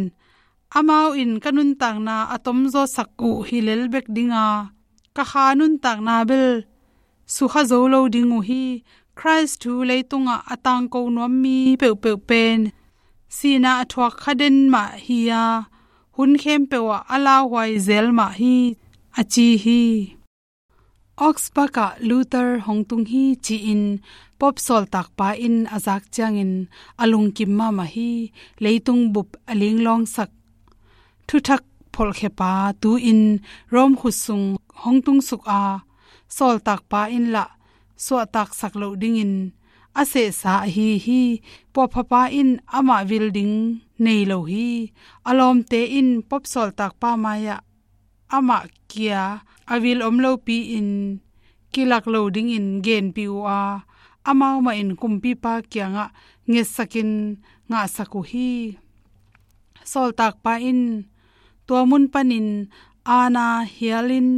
Amau in ka nuntakna a tomzawsak uh hi lel bek ding a, ka kha nuntakna bel sukha zo lo ding uh hi. Khrist thu leitungah a tangko nuam mi peuhpeuh pen sihna a thuak kha den mah hi a, hun khempeuh ah a lauhuai zel mah hi, a ci hi. Augsburg ah Luther hong tung hi, ci-in Pope sawltakpa in a zak ciangin a lungkim mahmah hi. Leitung bup a linglawngsak thuthak pholhkhepa tu-in Rome khut sung hong tungsuk a, sawltakpa in lah suahtaksak loh dingin a sehsa ahi hi. Puahphapa in amah vil ding nei lo hi. A lawmte in Pope sawltakpa mai-ah amah kia a vil om lopi-in kilak lo dingin genpih uh a, amau mahin kumpipa kiangah ngetsakin ngahsak uh hi. Sawltakpa in tua mun panin aana hialin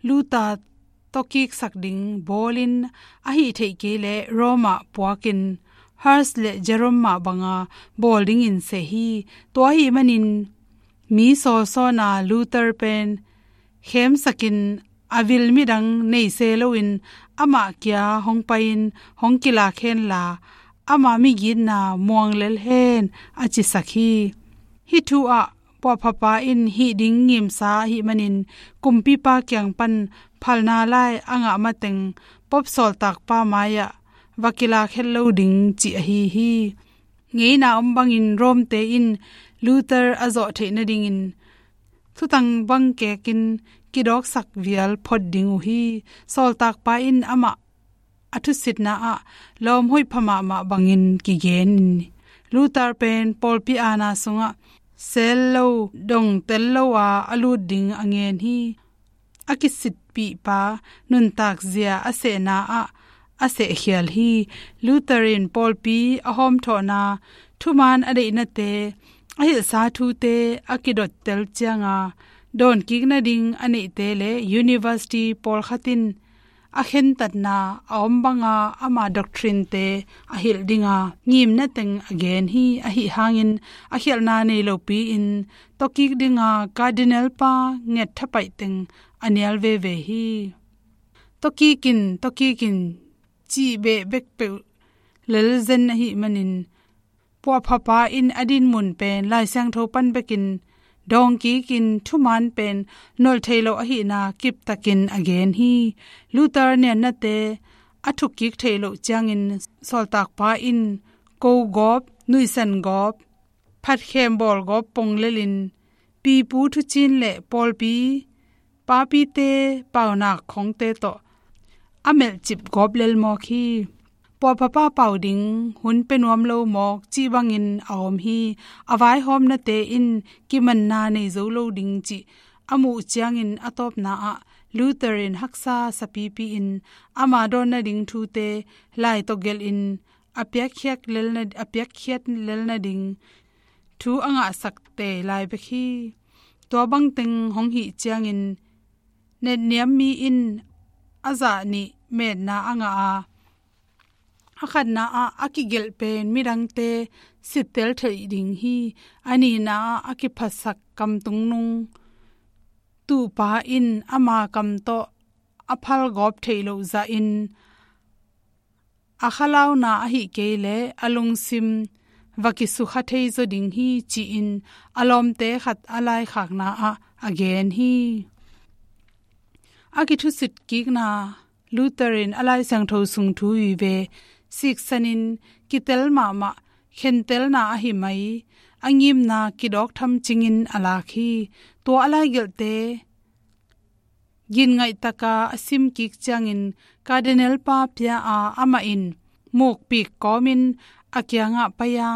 Luther tawkiksak ding bawlin, a hih theih kei leh Rome ah puakin Hus le Jerome mah banga bawl dingin seh hi. Tua ahih manin mi sawlsawna Luther pen khemsakin a vil midang nei se loin amah kia hong pai-in hong kilak henla, ama migitna muang lel hen, a cisak hi. Hih thu ah puahphapa in hih ding ngimsa ahih manin kumpipa kiang pan phalna lai a ngah mateng Pope sawltakpa mai-ah va kilak het lo ding cih ahi hi. Ngeina om bangin Rome-te in Luther a zawh theih nadingin thutang bang kekin kidawksak vial phot ding uh hi. Sawltakpa in amah a thusitna ah lawm hoih pha mahmah bangin kigen in, Luther pen pawlpi aana sungah sel lo, dongtel lo a a lut ding a ngen hi. A kisitpihpa nuntak zia a sehna ah a sehkhial hi. Luther in pawlpi a hawmthawhna, thuman a deihnate, a hilhsa thute a kidottel cianga dawnkik nading a neihte le university pawlkhat in a khentatna a om banga ama doctrine-te a hilh dinga ngimna teng a gen hi. Ahi hangin a khialhna nei lopi-in tawkik dinga Cardinal pa nget thapaih teng a nial veve hi. Tawkik in, tawkik in cih beh bek peuh lel zen ahih manin, puahphapa in a dinmun pen Lai Siangtho pan bekin dawngkikin thuman pen nolh thei lo ahihna kiptakin a gen hi. Luther niatnate a thukkik theih loh ciangin sawltakpa in ko gawp, nuihsan gawp, phatkhem bawl gawp pong lelin pipu thucin le pawlpi papite paunak khongte tawh a melhcip gawp lel mawk hi. Puahphapa pau ding hun pia nuam lo mawk cih bangin a om hi. A vaihawmnate in kimanna nei zo lo ding cih a muh ciangin a tawpna ah Luther in haksa sapipi in ama dawn nading thute lai tawh gelhin a piakkhiat lel na, a piakkhiat lel nading thu a ngahsak tei lai bek hi. Tua bangteng hong hih ciangin netniam mi in a zah nih metna a ngah a, a khatna ah a kigelh pen midangte sittel theih ding hi. A nihna ah a kiphasak kamtungnung tuhpa in ama kam tawh a phalgawp theih loh zahin a khalauna ahih kei leh a lungsim va kisukha thei zaw ding hi, ci-in a lawmte khat a laikhakna ah a gen hi. A kithusit kikna Luther in a Lai Siangtho sung thu vive siksanin kitel mahmah khentelna ahi mai a ngimna kidawk tham cingin a lak hi. Tua a laigelhte ginngaih taka a sim kik ciangin Cardinal pa pia a, amah in mukpik kawmin a kiangah pai a,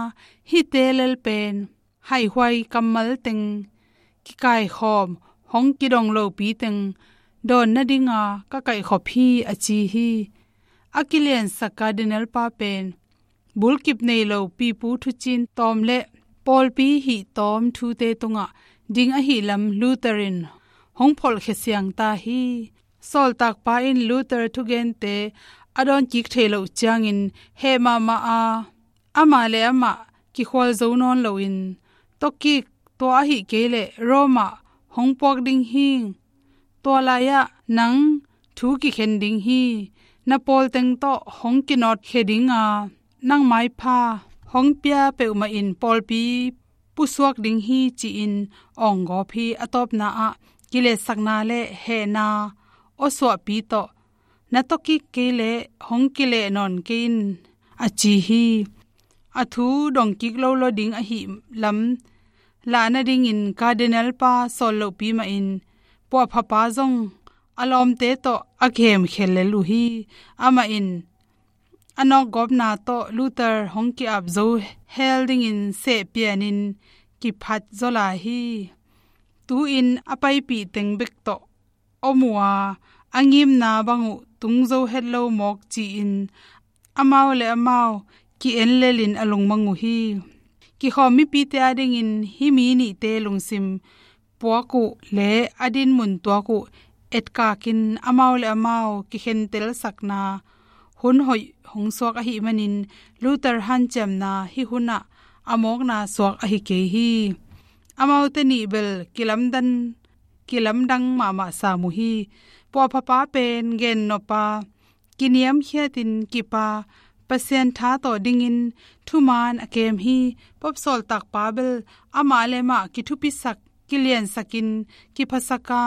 hihte lel pen haihuai kammal teng kikaikhawm hong kidong lopi teng dawn nadinga ka kaihkhop hi, a ci hi. A kiliansak Cardinal pa pen bulkip nei lo pipu thucin tawm le pawlpi hih tawm thute tungah ding ahi lam Luther in hong pholhkhia siang ta hi. Sawltakpa in Luther thugente a dawn kik thei loh ciangin heh mahmah a, amah le amah kikhual zo nawn loin, tawkik, tua ahih kei leh Rome ah hong puak ding hi. Tua lai-ah nang thu kikhen ding hi. Na pawl teng tawh hong kinawtkhia dinga nang maipha hong pia peuhmah in pawlpi pusuak ding hi, ci-in awng gawp hi. A tawpna ah kiletsakna le hehna awsuahpi tawh, na tawkik kei leh hong kileh nawn kei in, a ci hi. A thu dongkik lo lo ding ahi lam lah nadingin Cardinal pa sawl lohpi mahin puahphapa zong a lawmte tawh a kihemkhia lel uh hi. Amah in a nawkgawpna tawh Luther hong ki-ap zo hel dingin sehpianin kiphat zaw lai hi. Tu-in a paipih teng bek tawh om uh a, a ngimna bang uh tung zo het lo mawk ci-in amau le amau ki-en lelin a lungmang uh hi. Kikhawm mipite adingin hih mi nihte lungsim puak uh le a dinmun tuak uh etkakin amau le amau kikhentelsakna hun hoih hong suak ahih manin Luther hanciamna hih hunah a mawkna suak ahi kei hi. Amaute nih bel kilamdan, kilamdang mahmah sam uh hi. Puahphapa pen gennop a, kiniamkhiatin kip a, Pasian tha tawh dingin thuman a kem hi. Pope sawltakpa bel amah le amah kithupisak, kiliansakin kiphasak a,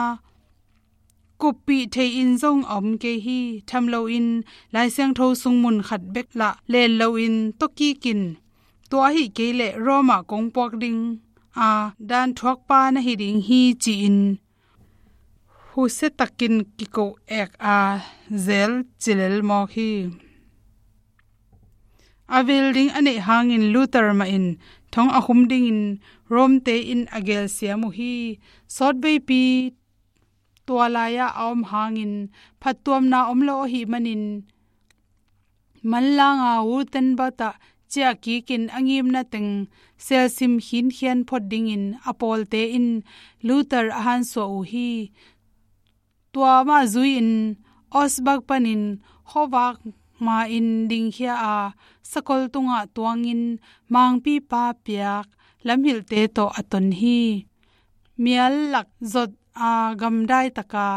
kuppih thei-in zong a om kei hi. Tham loin Lai Siangtho sung mun khat bek lah len loin tawkikin, tua ahih kei leh Rome ah kong puak ding a, dan thuakpa na hi ding hi, ci-in husia takin kiko ek a zel cilel mawk hi. A vil ding a neih hangin Luther mahin thong a khum dingin Rome-te in a gelsiam uh hi. Sawtveipi tua lai-ah a om hangin phattuamna om lo ahih manin manlanga Wurtemberg ah ciahkikin a ngimna teng selsim khinkhian phot dingin a pawlte in Luther a hansuah uh hi. Tua mah zui-in Augsburg panin khuavak ma-in dingkhia a, sakol tungah tuangin mangpipa piak lamhilhte tawh a ton hi. Mial lak zot a gamdai taka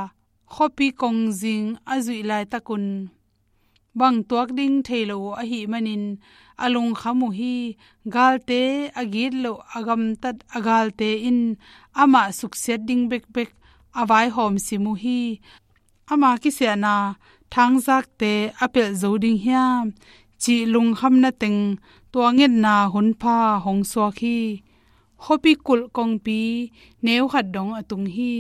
khuapi kongzing a zuih laitakun bang tuak ding thei lo uh ahih manin a lungkham uh hi. Galte, a gitloh a gamtat a galte in amah suksiat ding bekbek a vaihawm sim uh hi. Ama kisiahna thangzakte a pelh zo ding hiam cih lungkhamna teng tua ngetna hunpha hong suak hi. Khuapi kulh kongpi neu khat dong a tung hi.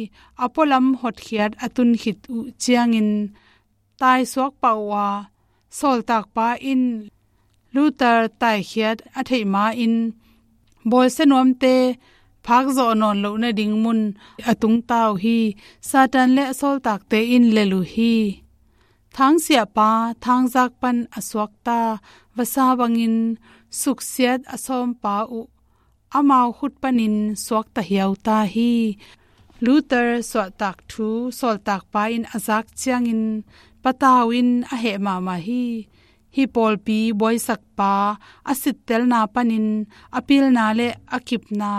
A pualam hotkhiat a tun khit uh ciangin taisuak pah uh a, sawltakpa in Luther taikhiat a theih ma-in bawlsia nuamte phakzawh nawn loh nading mun a tungta uh hi. Satan le a sawltakte in lel uh hi. Thangsiahpa thangzak pan a suakta vasa bangin suksiat a sawmpa uh amau khut panin suakta hiauta hi. Luther suahtak thu sawltakpa in a zak ciangin patau in a heh mahmah hi. Hih pawlpi buaisakpa a sittelna panin a pilna le a kipna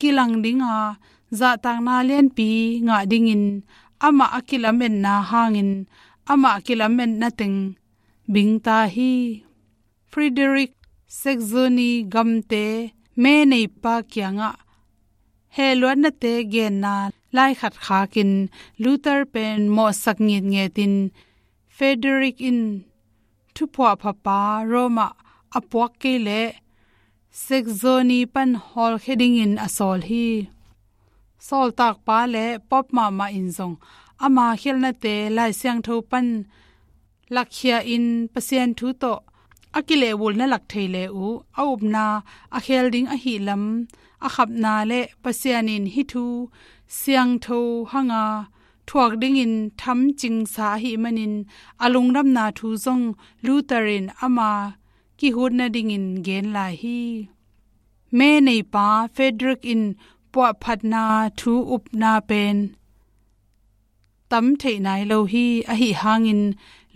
kilang dinga zahtakna lianpi ngah dingin amah a kilametna hangin amah kilametna teng bingta hi. Frederick Saxony gamte meneipa kiangah hehluatnate genna lai khat khakin Luther pen mawhsak ngitngetin Frederick in thuphuahphapa Rome ah a puak kei leh Saxony pan hawlkhia dingin a sawl hi. Sawltakpa le Pope mahmah in zong ama khialhnate Lai Siangtho pan lakkhia in Pasian thu tawh a kilehbulna lak thei le uh a upna a khel ding ahih lam a khapna le Pasian in hih thu siangtho hanga thuak dingin thamcingsa ahih manin a lungdamna thu zong Luther in ama kihutna dingin gen lai hi. Meneipa Frederick in puahphatna thu upna pen tam theih nai lo hi. Ahih hangin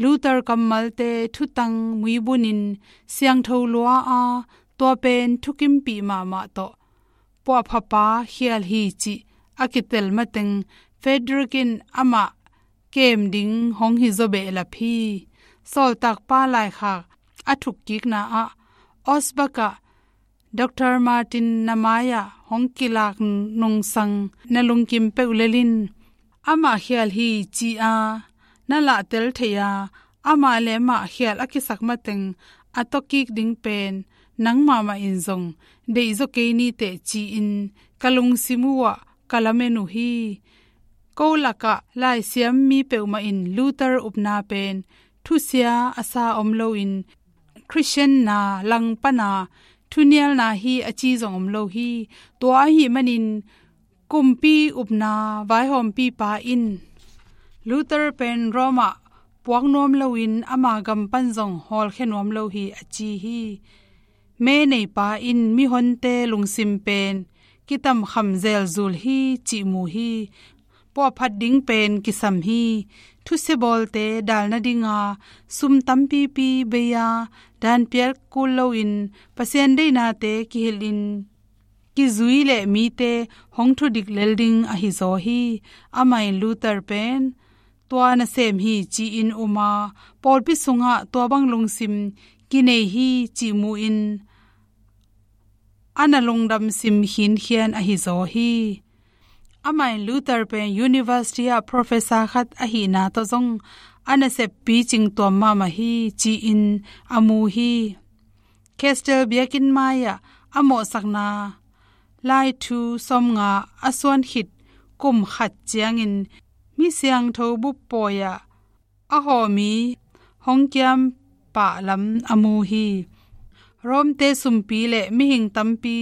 Luther kammalte thutang muibunin siangtho lua a, tua pen thukimpih mahmah tawh puahphapa khial hi cih a kitel mateng Frederick in amah kem ding hong hi zaw behlap hi. Sawltakpa laikhak a thukkikna ah Augsburg ah Doctor Martin na mai-ah hong kilak nungsang na lungkim peuh lel in, amah khial hi ci-a na lahtel thei-a, amah le amah khial a kisak mateng a tawkik ding pen nang mahmah in zong deih zaw kei ni teh ci-in ka lungsim uhah ka lamen uh hi. Ko lakah laisiam mi peuhmah in Luther upna pen thusia a sa om loin Khristian na langpana thunialna hi a ci zong om lo hi. Tua ahih manin kumpi upna vaihawmpipa in Luther pen Rome ah puak nuam loin ama gam pan zong hawlkhia nuam lo hi a ci hi. Meneipa in mihonte lungsim pen kitamkham zelzul hi cih mu hi. Puahphat ding pen kisam hi. Thusia bawlte dal nadinga sum tampipi bei-a danpial kul loin Pasian deihnate kihilhin kizui le mite hong thudik lel ding ahi zaw hi. Amah in Luther pen tua nasem hi ci-in um a, pawlpi sungah tua bang lungsim kinei hi cih mu-in a na lungdam sim khinkhian ahi zaw hi. Amah in Luther pen university ah professor khat ahihna tawh zong a nasep picing tuam mahmah hi ci-in a mu hi. Castel biakinn mai-ah a mawhsakna lai thu sawmnga a suan khit kum khat ciangin mi siangtho bup pawi-ah a hawh mi hong kiam pah lam a mu hi. Rome-te sumpi le mihing tampi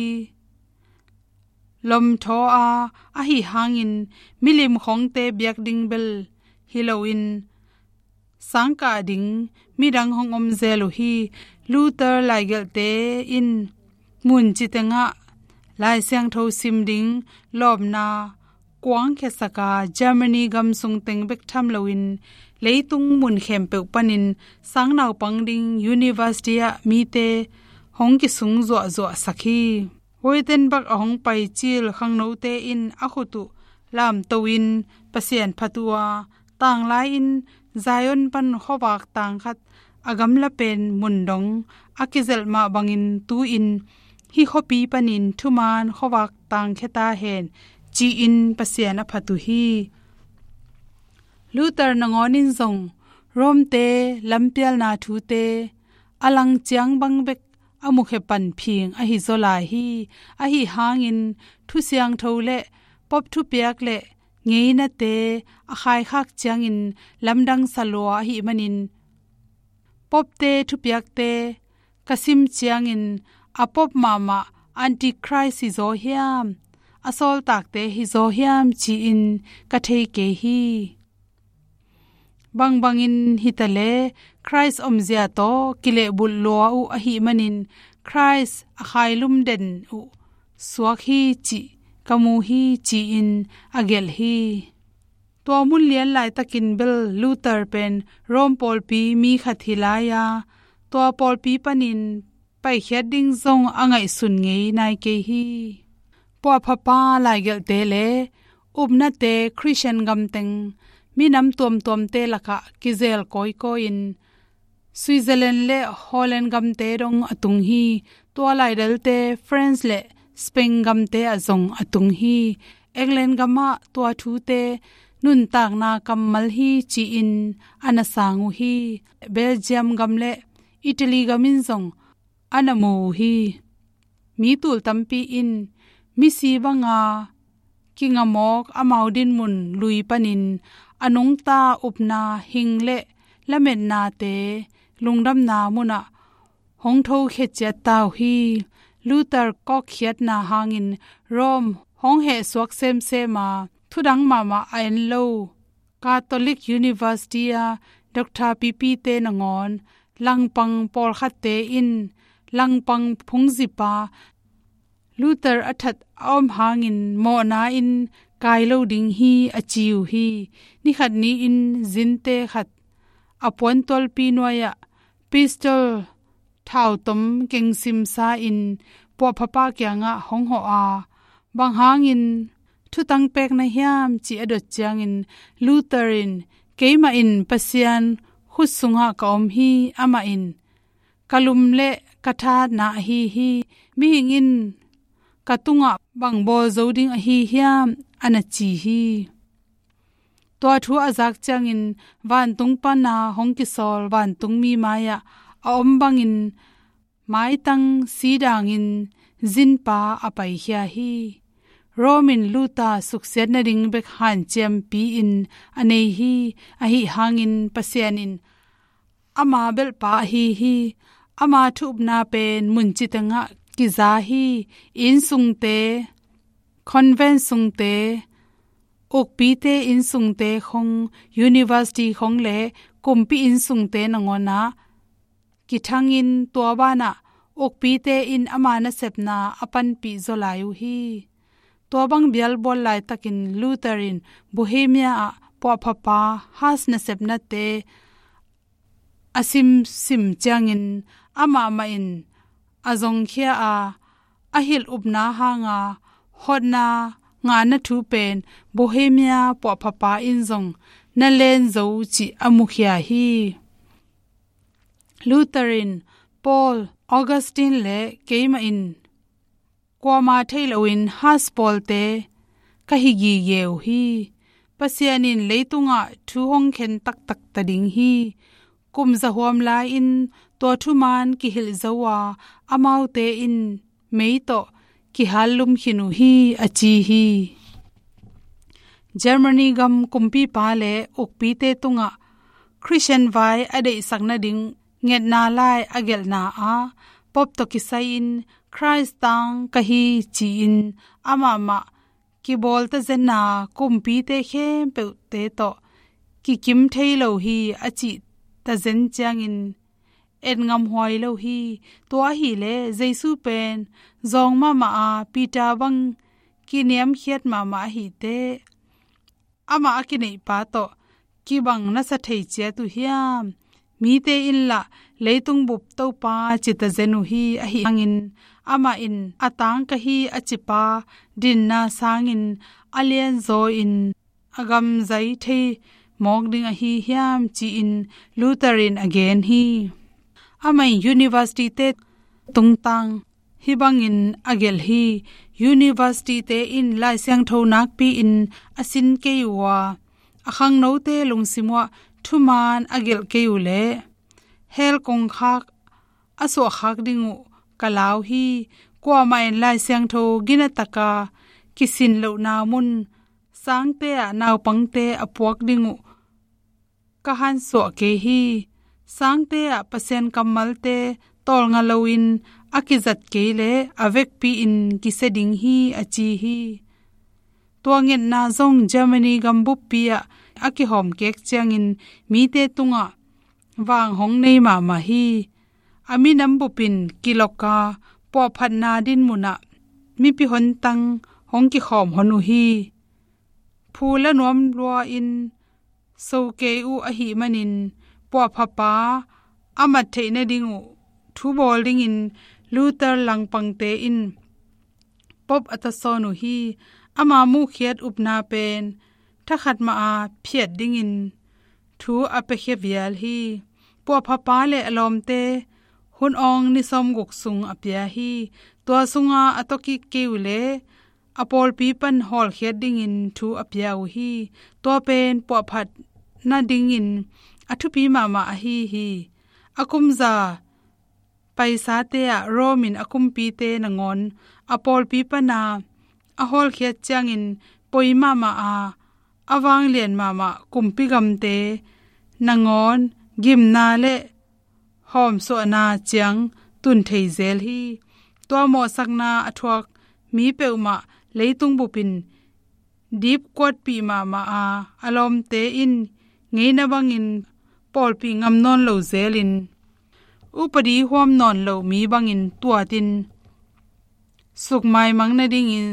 lomthaw a, ahi hangin milim khongte biak ding bel hi loin sangkah ding midang hong om zel uh hi. Luther laigelhte in mun ci tengah Lai Siangtho sim ding lawpna kuang khiasak a, Germany gam sung teng bek tham loin leitung mun khempeuh panin sang naupang ding university ah mite hong kisung zuahzuahsak hi. Wittenberg a hong pai cil khangnote in a khut uh lamto in Pasian phat uh a, tanglai-in Zion pan khuavak tang khat a gamla pen mun dong a kizelh mah bangin tu-in hih khuapi panin thuman khuavak tangkhia ta hen, ci-in Pasian a phat uh hi. Luther nangawn in zong Rome-te lampialna thute a lang ciang bang bek a mukhia pan phing ahi zaw lai hi. Ahi hangin Thu Siangtho le Pope thupiak le ngeinate a khaikhak ciangin lamdang sa lua ahih manin, Pope-te thupiakte ka sim ciangin a Pope mahmah Antichrist hi zaw hiam, a sawltakte hi zaw hiam ci-in ka thei kei hi. Bangbangin hi ta leh Christ omzia tawh kilehbulh lua uh ahih manin Christ a khailum den uh suak hi cih ka mu hi ci-in a gelh hi. Tua mun lian laitakin bel Luther pen Rome pawlpi mi khat hi lai a, tua pawlpi panin paikhiat ding zong a ngaihsun ngei nai kei hi. Puahphapa laigelhte le upnate Christian gamteng minam tuamtuamte lakah kizel kawikawi-in Switzerland le Holland gamte dong a tung hi. Tua laidalte France le Spain gamte ah zong a tung hi. England gamah tua thute nuntakna kammal hi ci-in a na sang uh hi. Belgium gam le Italy gam in zong a na mu uh hi. Mi tul tampi in misi banga kingamawk amau dinmun lui panin a nungta upna hing le lametnate lungdamna munah hong thokhia ciat ta uh hi. Luther kawkkhiatna hangin Rome hong hehsuak semsem a, thudang mahmah a en lo Catholic University a Doctor Pipite nangawn langpang pawlkhatte in langpang phungzipa Luther a that a om hangin mawhna in kai lo ding hi a ci uh hi. Nikhat ni-in zinte khat a puantualpi nuai-ah pistol thautom kengsimsa-in puahphapa kiangah hong hawh a, bang hangin thutang pek na hiam ci a dot ciangin Luther in, keimah in Pasian khut sungah ka om hi, amah in ka lum le ka tha na ahi hi. Mihing in ka tungah bang bawl zo ding ahi hiam, a na ci hi. Tua thu a zak ciangin vantung pana hong kisawl vantungmi mai-ah a om bangin maitang sidangin zinpa a paikhia hi. Rome in Luther suksiat nading bek hanciampi-in a nei hi. Ahi hangin Pasian in ama belhpa ahi hi. Ama thu-upna pen munci tengah kiza hi. Innsungte, convent sungte, ukpite innsungte khong, university khong le kumpi innsungte nangawnah kithangin tua banah ukpite in ama nasepna a panpih zaw lai uh hi. Tua bang bialbual laitakin Luther in Bohemia ah puahphapa Huss nasepnate a simsim ciangin amah mah in a zongkhia a, a hilh upna hanga hotna ngahna thu pen Bohemia puahphapa in zong na len zo cih a mukhia hi. Luther in Paul, Augustine le keimah in kuama thei loin Huss pawlte ka hi gige uh hi. Pasian in leitungah thu hong khen taktak ta ding hi. Kum zahuam lai-in tua thuman kihilh zo a, amaute in mei tawh kihallum khin uh hi, a ci hi. Germany gam kumpipa le ukpite tungah Christian vai a deihsak nading ngetna lai a gelhna ah Pope tawh kisai-in Christ tang ka hi ci-in amah mah kibawl tazenna kumpite khempeuhte tawh kikim thei lo hi a cih tazen ciangin et ngamhuai lo hi. Tua ahileh Jesu pen zawng mahmah a, Peter bang kiniamkhiat mahmah ahiteh amah a kineihpa tawh kibang nasa thei ciat uh hiam? Mite in lah leitung bup Topa cita zen uh hi, ahi hangin amah in a tangka hi a cipa dinna sangin a lianzaw in a gamzai thei mawk ding ahi hiam, ci-in Luther in a gen hi. Amah in university-te tungtang hih bangin a gelh hi. University-te in Lai Siangtho nakpi-in a sin kei uh a, a khangnote lungsim uhah thuman a gelh kei uh leh hell kongkhak a suahkhak ding uh ka lau hi. Kuamah in Lai Siangtho ginataka kisin lohna mun sangte ah naupangte a puak ding uh ka hansuah kei hi. Sangte ah Pasian kammalte tawlnga loin a kizat kei leh a vekpi-in kisia ding hi, a ci hi. Tua ngetna zong Germany gambuppi ah a kihawm kek ciangin mite tungah vang hong nei mahmah hi. A minam bupin kilawka puahphatna dinmun ah mipi hontang hong kikhawm hon uh hi. Phu la nuam lua-in so kei uh ahih manin puahphapa a mat theih nading uh thu bawl dingin Luther langpangte in Pope a tasawn uh hi. Ama muhkhiat upna pen thakhat mah a phiat dingin thu a piakhia vial hi. Puahphapa le a lawmte hun awng ni sawmguk sung a pia hi. Tua sunga a tawkik kei uh leh a pawlpi pan hawlkhiat dingin thu a pia uh hi. Tua pen puahphat nadingin a thupi mahmah ahi hi. A kumza paisate ah Rome in a kumpite nangawn a pawlpi pana a hawlkhiat ciangin poi mahmah a, a vanglian mahmah kumpi gamte nangawn gimna le hawmsuahna ciang tun thei zel hi. Tua mawhsakna a thuak mi peuhmah leitung bupin dipkuatpih mahmah a, a lawmte in ngeina bangin pawlpih ngam nawn lo zelin upadi huam nawn lo mi bangin tuatin sukmaimang nadingin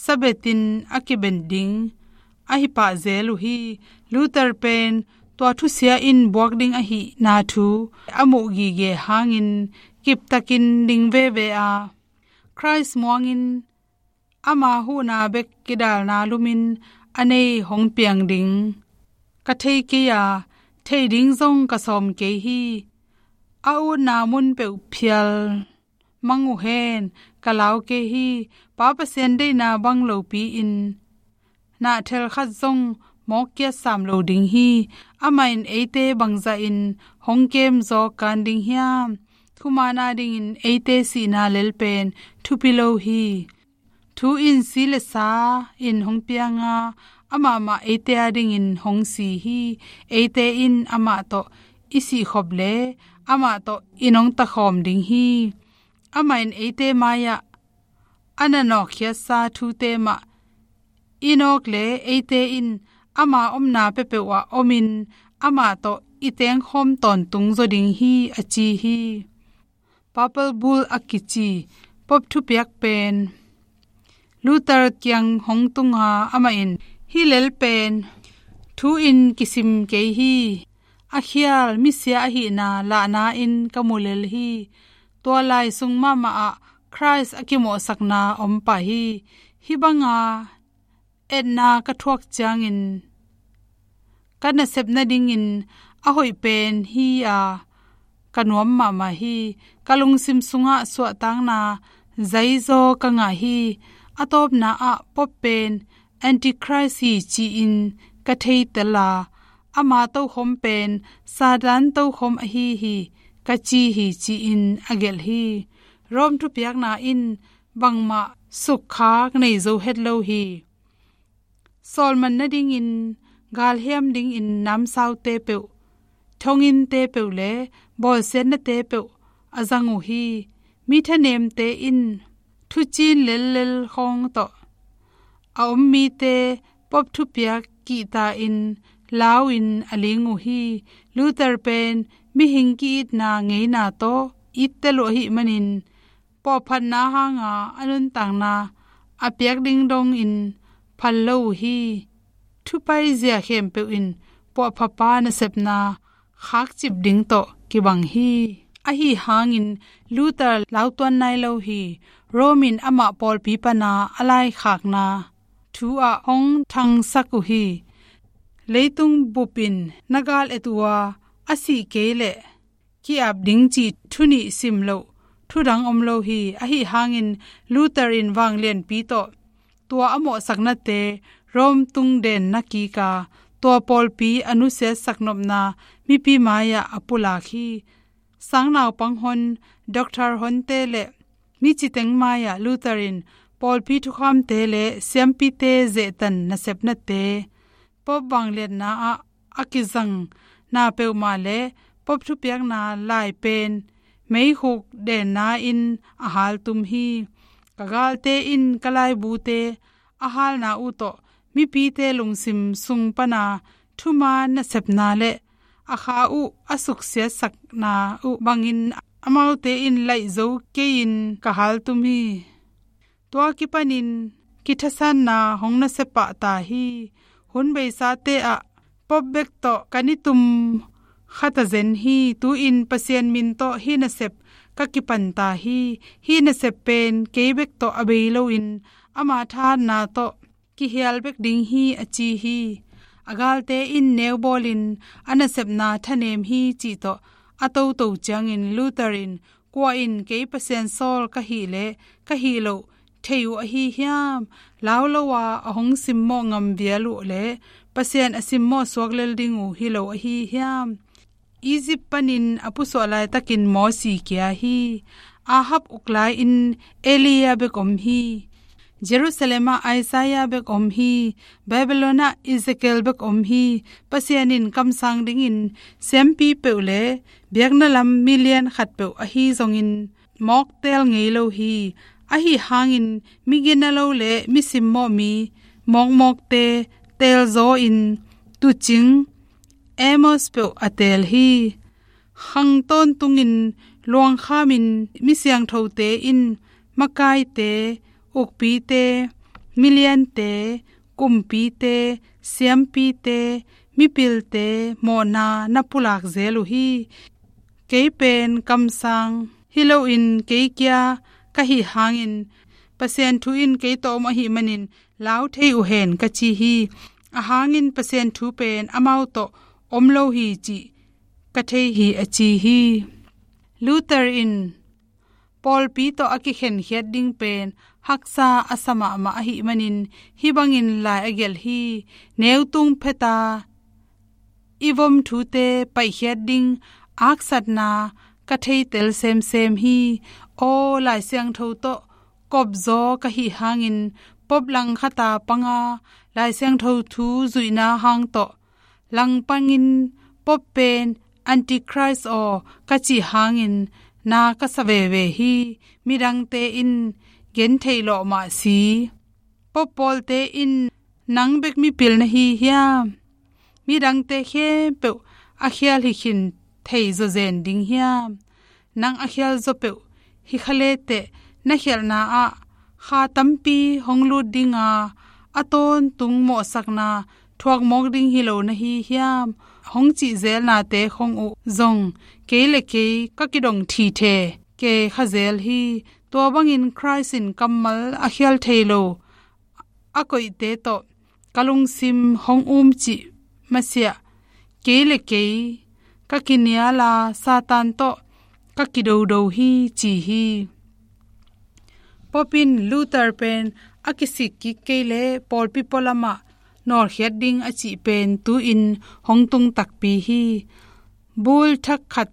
sabetin a kiben ding ahi pah zel uh hi. Luther pen tua thusia in buak ding ahihna thu a muh gige hangin kiptakin ding veve a, Christ muangin ama huhna bek kidalna lumin a nei hong piang ding ka thei kei a, thei ding zong ka sawm kei hi. A utna mun peuh phial mang uh hen, ka lau kei hi. Pa Pasian deihna bang lopi-in nahthel khat zong mawkkiat sam lo ding hi. Amah in eite bangzahin hong kemzaw kan ding hiam? Thuman adingin eite sihna lel pen thupi lo hi. Thu in si le sa in hong pianga, amah mah eite adingin hong si hi. Eite in amah tawh i sihkhop le amah tawh i nongtakhawm ding hi. Amah in eite mai-ah a na nawkkhiatsa thute mah i nawk le eite in ama omna peuhpeuh ah omin amah tawh i tengkhawm tawntung zaw ding hi, a ci hi. Papal Bull a kici Pope thupiak pen Luther kiang hong tunga, amah in hih lel pen thu in kisim kei hi. A khial misia ahihna lahna in ka mu lel hi. Tua lai sung mahmah ah Christ a kimawhsakna om pah hi. Hih banga etna ka thuak ciangin ka nasep nadingin a hoih pen hi a, ka nuam mahmah hi. Ka lungsim sungah suahtakna zaizaw ka ngah hi. A tawpna ah Pope pen Antichrist hi ci-in ka theitel a, ama tokhom pen Satan tokhom ahi hi ka ci hi, ci-in a gelh hi. Rome thupiakna in bangmah sukkhak nei zo het lo hi. Sawlman nadingin, galhiam dingin namsaute peuh, thonginte peuh le bawlsiatnate peuh a zang uh hi. Mi thanemte in thucin lellel khawng tawh a om mite Pope thupiak kihta-in lau-in a ling uh hi. Luther pen mihing ki-itna ngeina tawh itte luah ahih manin, pawhphatna hanga a nuntakna a piak ding dongin phal lo uh hi. Thupaizia khempeuh in puahphapa nasepna khakcip ding tawh kibang hi. Ahi hangin Luther lautuan nai lo hi. Rome in amah pawlpi pana a laikhakna thu ah hong thangsak uh hi. Leitung bup in na gal et uh a, a sih kei leh ki-ap ding cih thu nih sim loh thu dang om lo hi. Ahi hangin Luther in vanglianpi tawh tua a mawhsaknate Rome tungden na kik a, tua pawlpi a nusiatsak nopna mipi mai-ah a pulak hi. Sangnaupang hon, doctor honte le mi citeng mai-ah Luther in pawlpi thukhamte le siampite zehtan nasepnate, Pope vangliatna ah a kizang na peuhmah le Pope thupiakna lai pen meikhuk denna in a haltum hi. Ka galte in ka laibute a halna uh tawh mipite lungsim sung pana thuman nasepna le a kha uh a suksiatsakna uh bangin amaute in laih zo kei-in ka haltum hi. Tua kipanin kithasanna hong nasia pah ta hi. Hun beisate ah Pope bek tawh ka nitum kha ta zen hi. Tu-in Pasian min tawh hih nasep ka kipan ta hi. Hih nasep pen kei bek tawh a bei loin ama thahatna tawh kihial bek ding hi, a ci hi. A galte in neu bawlin a nasepna thanem hi cih tawh a toto ciangin Luther in, kua in kei Pasian sawl ka hih le ka hih loh thei uh ahi hiam? Lau lo a a hong simmawh ngam vial uh le Pasian a simmawh suak lel ding uh hi lo ahi hiam? Egypt panin a pusuah laitakin Mosi kia hi. Ahab uk lai-in Elia bek om hi. Jerusalem ah Isaiah bek om hi. Babylon ah Ezekiel bek om hi. Pasian in kamsang dingin siampi peuh le biakna lam milian khat peuh ahi zongin mawk teel ngei lo hi. Ahi hangin migina lo le mi simmawh mi mawkmawkte teelzaw in tuucing Amos peuh a teel hi. Khang tawntungin luangkhamin mi siangthote in makaite, ukpite, miliante, kumpite, siampite, mipilte mawhna na pulak zel uh hi. Kei pen kamsang hi loin kei kia ka hih hangin Pasian thu in kei tawh om ahih manin lau thei uh hen ka ci hi. A hangin Pasian thu pen amau tawh om lo hi cih ka thei hi, a ci hi. Luther in pawlpi tawh a kikhenkhiat ding pen haksa a sa mahmah ahih manin hih bangin lai a gelh hi. Neutung pheta i vom thute paihkhiat ding aksatna ka theitel semsem hi. Aw, Lai Siangtho tawh kopzaw ka hih hangin Pope langkhata panga Lai Siangtho thu zuihna hang tawh langpangin Pope pen Antichrist aw ka cih hangin na ka sa veve hi. Midangte in gentheih lawh mah si. Pope pawlte in nang bek mipil na hi hiam? Midangte khempeuh a khial hi khin thei zawzen ding hiam? Nang a khial zaw peuh hi kha leteh na khialhna ah kha tampi hong lut dinga a tawntung mawhsakna thuak mawk ding hi lo na hi hiam? Hong cih zelnate khong uh zong kei le kei ka kidong thithe kei kha zel hi. Tua bangin Christ in kammal a khial thei lo a koihte tawh ka lungsim hong um cih masiah kei le kei ka kiniala Satan tawh ka kidodo hi, ci hi. Pope in Luther pen a kisik kik kei le pawlpi pualamah nawlkhiat ding a cih pen tu-in hong tung takpi hi. Bul thak khat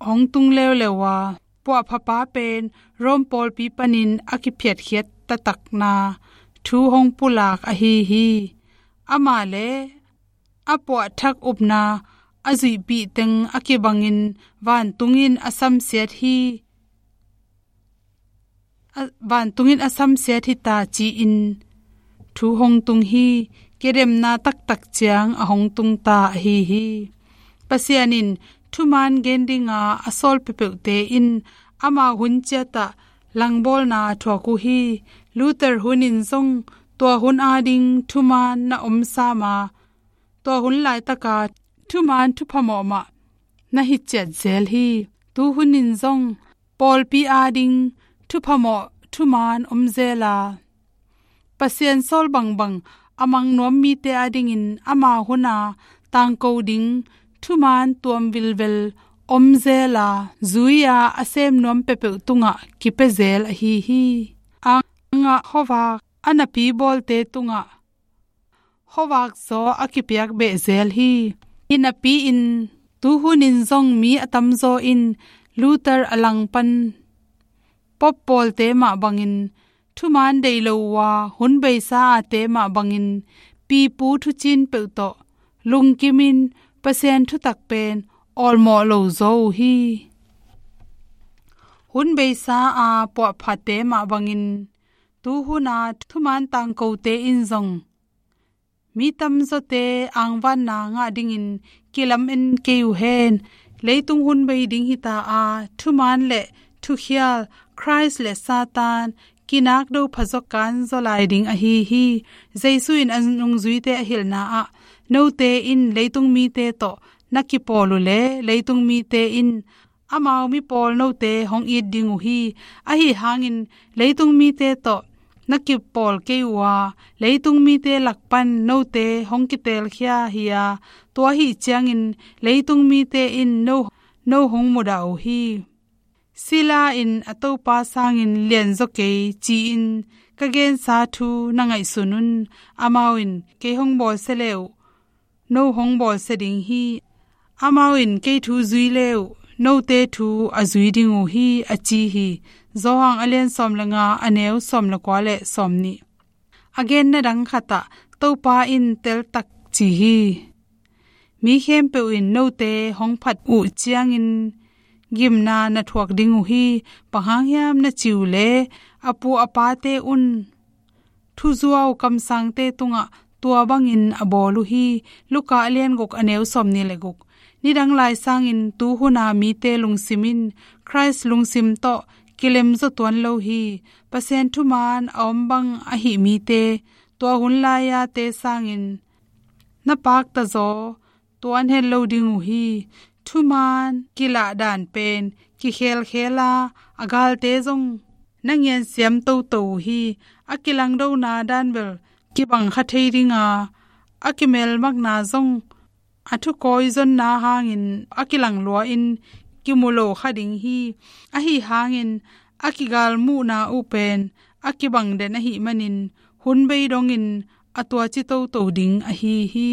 hong tung leuleu a, puahphapa pen Rome pawlpi panin a kiphiatkhiat taktakna thu hong pulak ahi hi. Amah le a puahthak upna a zuihpih teng a kibangin vantungin a samsiat hi. A, vantungin a samsiat hi ta ci-in thu hong tung hi. Kidemna taktak ciang a hong tung ta ahi hi. Pasian in thuman gen dinga a sawl peuhpeuhte in ama hun ciatah langbawlna a thuak uh hi. Luther hun in zong tua hun ading thuman na om sam a, tua hun laitaka thuman thuphamawh mah na hi ciat zel hi. Tuhunin zong pawlpi ading thuphamawh thuman om zel a, Pasian sawl bangbang a mang nuam mite adingin ama huna tangko ding thuman tuam vilvel om zel a, zui-a a sem nuam peuhpeuh tungah kipia zel ahi hi. Angah khuavak a napi bawlte tungah khuavak zaw a kipiak beh zel hi. Hinapi-in tuhunin zong mi a tamzaw in Luther a langpan Pope pawlte mah bangin thuman deih lo uh a, hun beisa ate mah bangin pipu thucin peuh tawh lungkimin Pasian thutak pen awlmawh lo zaw uh hi. Hun beisa a puahphate mah bangin tuhuna thuman tangkote in zong mi tamzawte angvanna ngah dingin kilamen kei uh hen. Leitung hun bei ding hita a, thuman le thukhial, Khrist le Satan kinakdo phazaw kanzaw lai ding ahi hi. Jesu in a nungzuite a hilhna ah, note in leitung mite tawh na kipawl uh le leitung mite in amau mipawl note hong it ding uh hi. Ahi hangin leitung mite tawh na kipawl kei uh a, leitung mite lakpan note hong kitelkhia hi a, tua ahi ciangin leitung mite in no, no hong mudah uh hi. Sila in a Topa sangin lianzaw kei ci-in ka gensa thu na ngaihsun un. Amau in kei hong bawlsia le uh, no hong bawlsia ding hi. Amau in kei thu zui le uh, note thu a zui ding uh hi, a ci hi. Johan a lian sawm le nga, a neu sawm le kua le sawm nih. A genna dang khatah Topa in teltak ci hi. Mi khempeuh in note hong phat uh ciangin gimna na thuak ding uh hi. Bang hang hiam na ci uh le, a pu a pate un thuzuau kamsangte tungah tua bangin a bawl uh hi. Luka a lian guk, a neu sawm nih le guk. Nidang lai sangin tuhuna mite lungsim in Khrist lungsim tawh kilemzaw tuan lo hi. Pasian thuman a om bang ahi mite, tua hun lai-ate sangin na paktazaw tuan het lo ding uh hi. Thuman kilah dan pen kikhelkhel a, a galte zong na ngiansiam toto uh hi. A kilangdona dan bel kibang kha thei ding a, a kimelmakna zong a thukawi zonna hangin a kilang lua-in kimu lo kha ding hi. Ahi hangin a kigalmuhna uh pen a kibang den ahih manin hun bei dongin a tuaci toto ding ahi hi.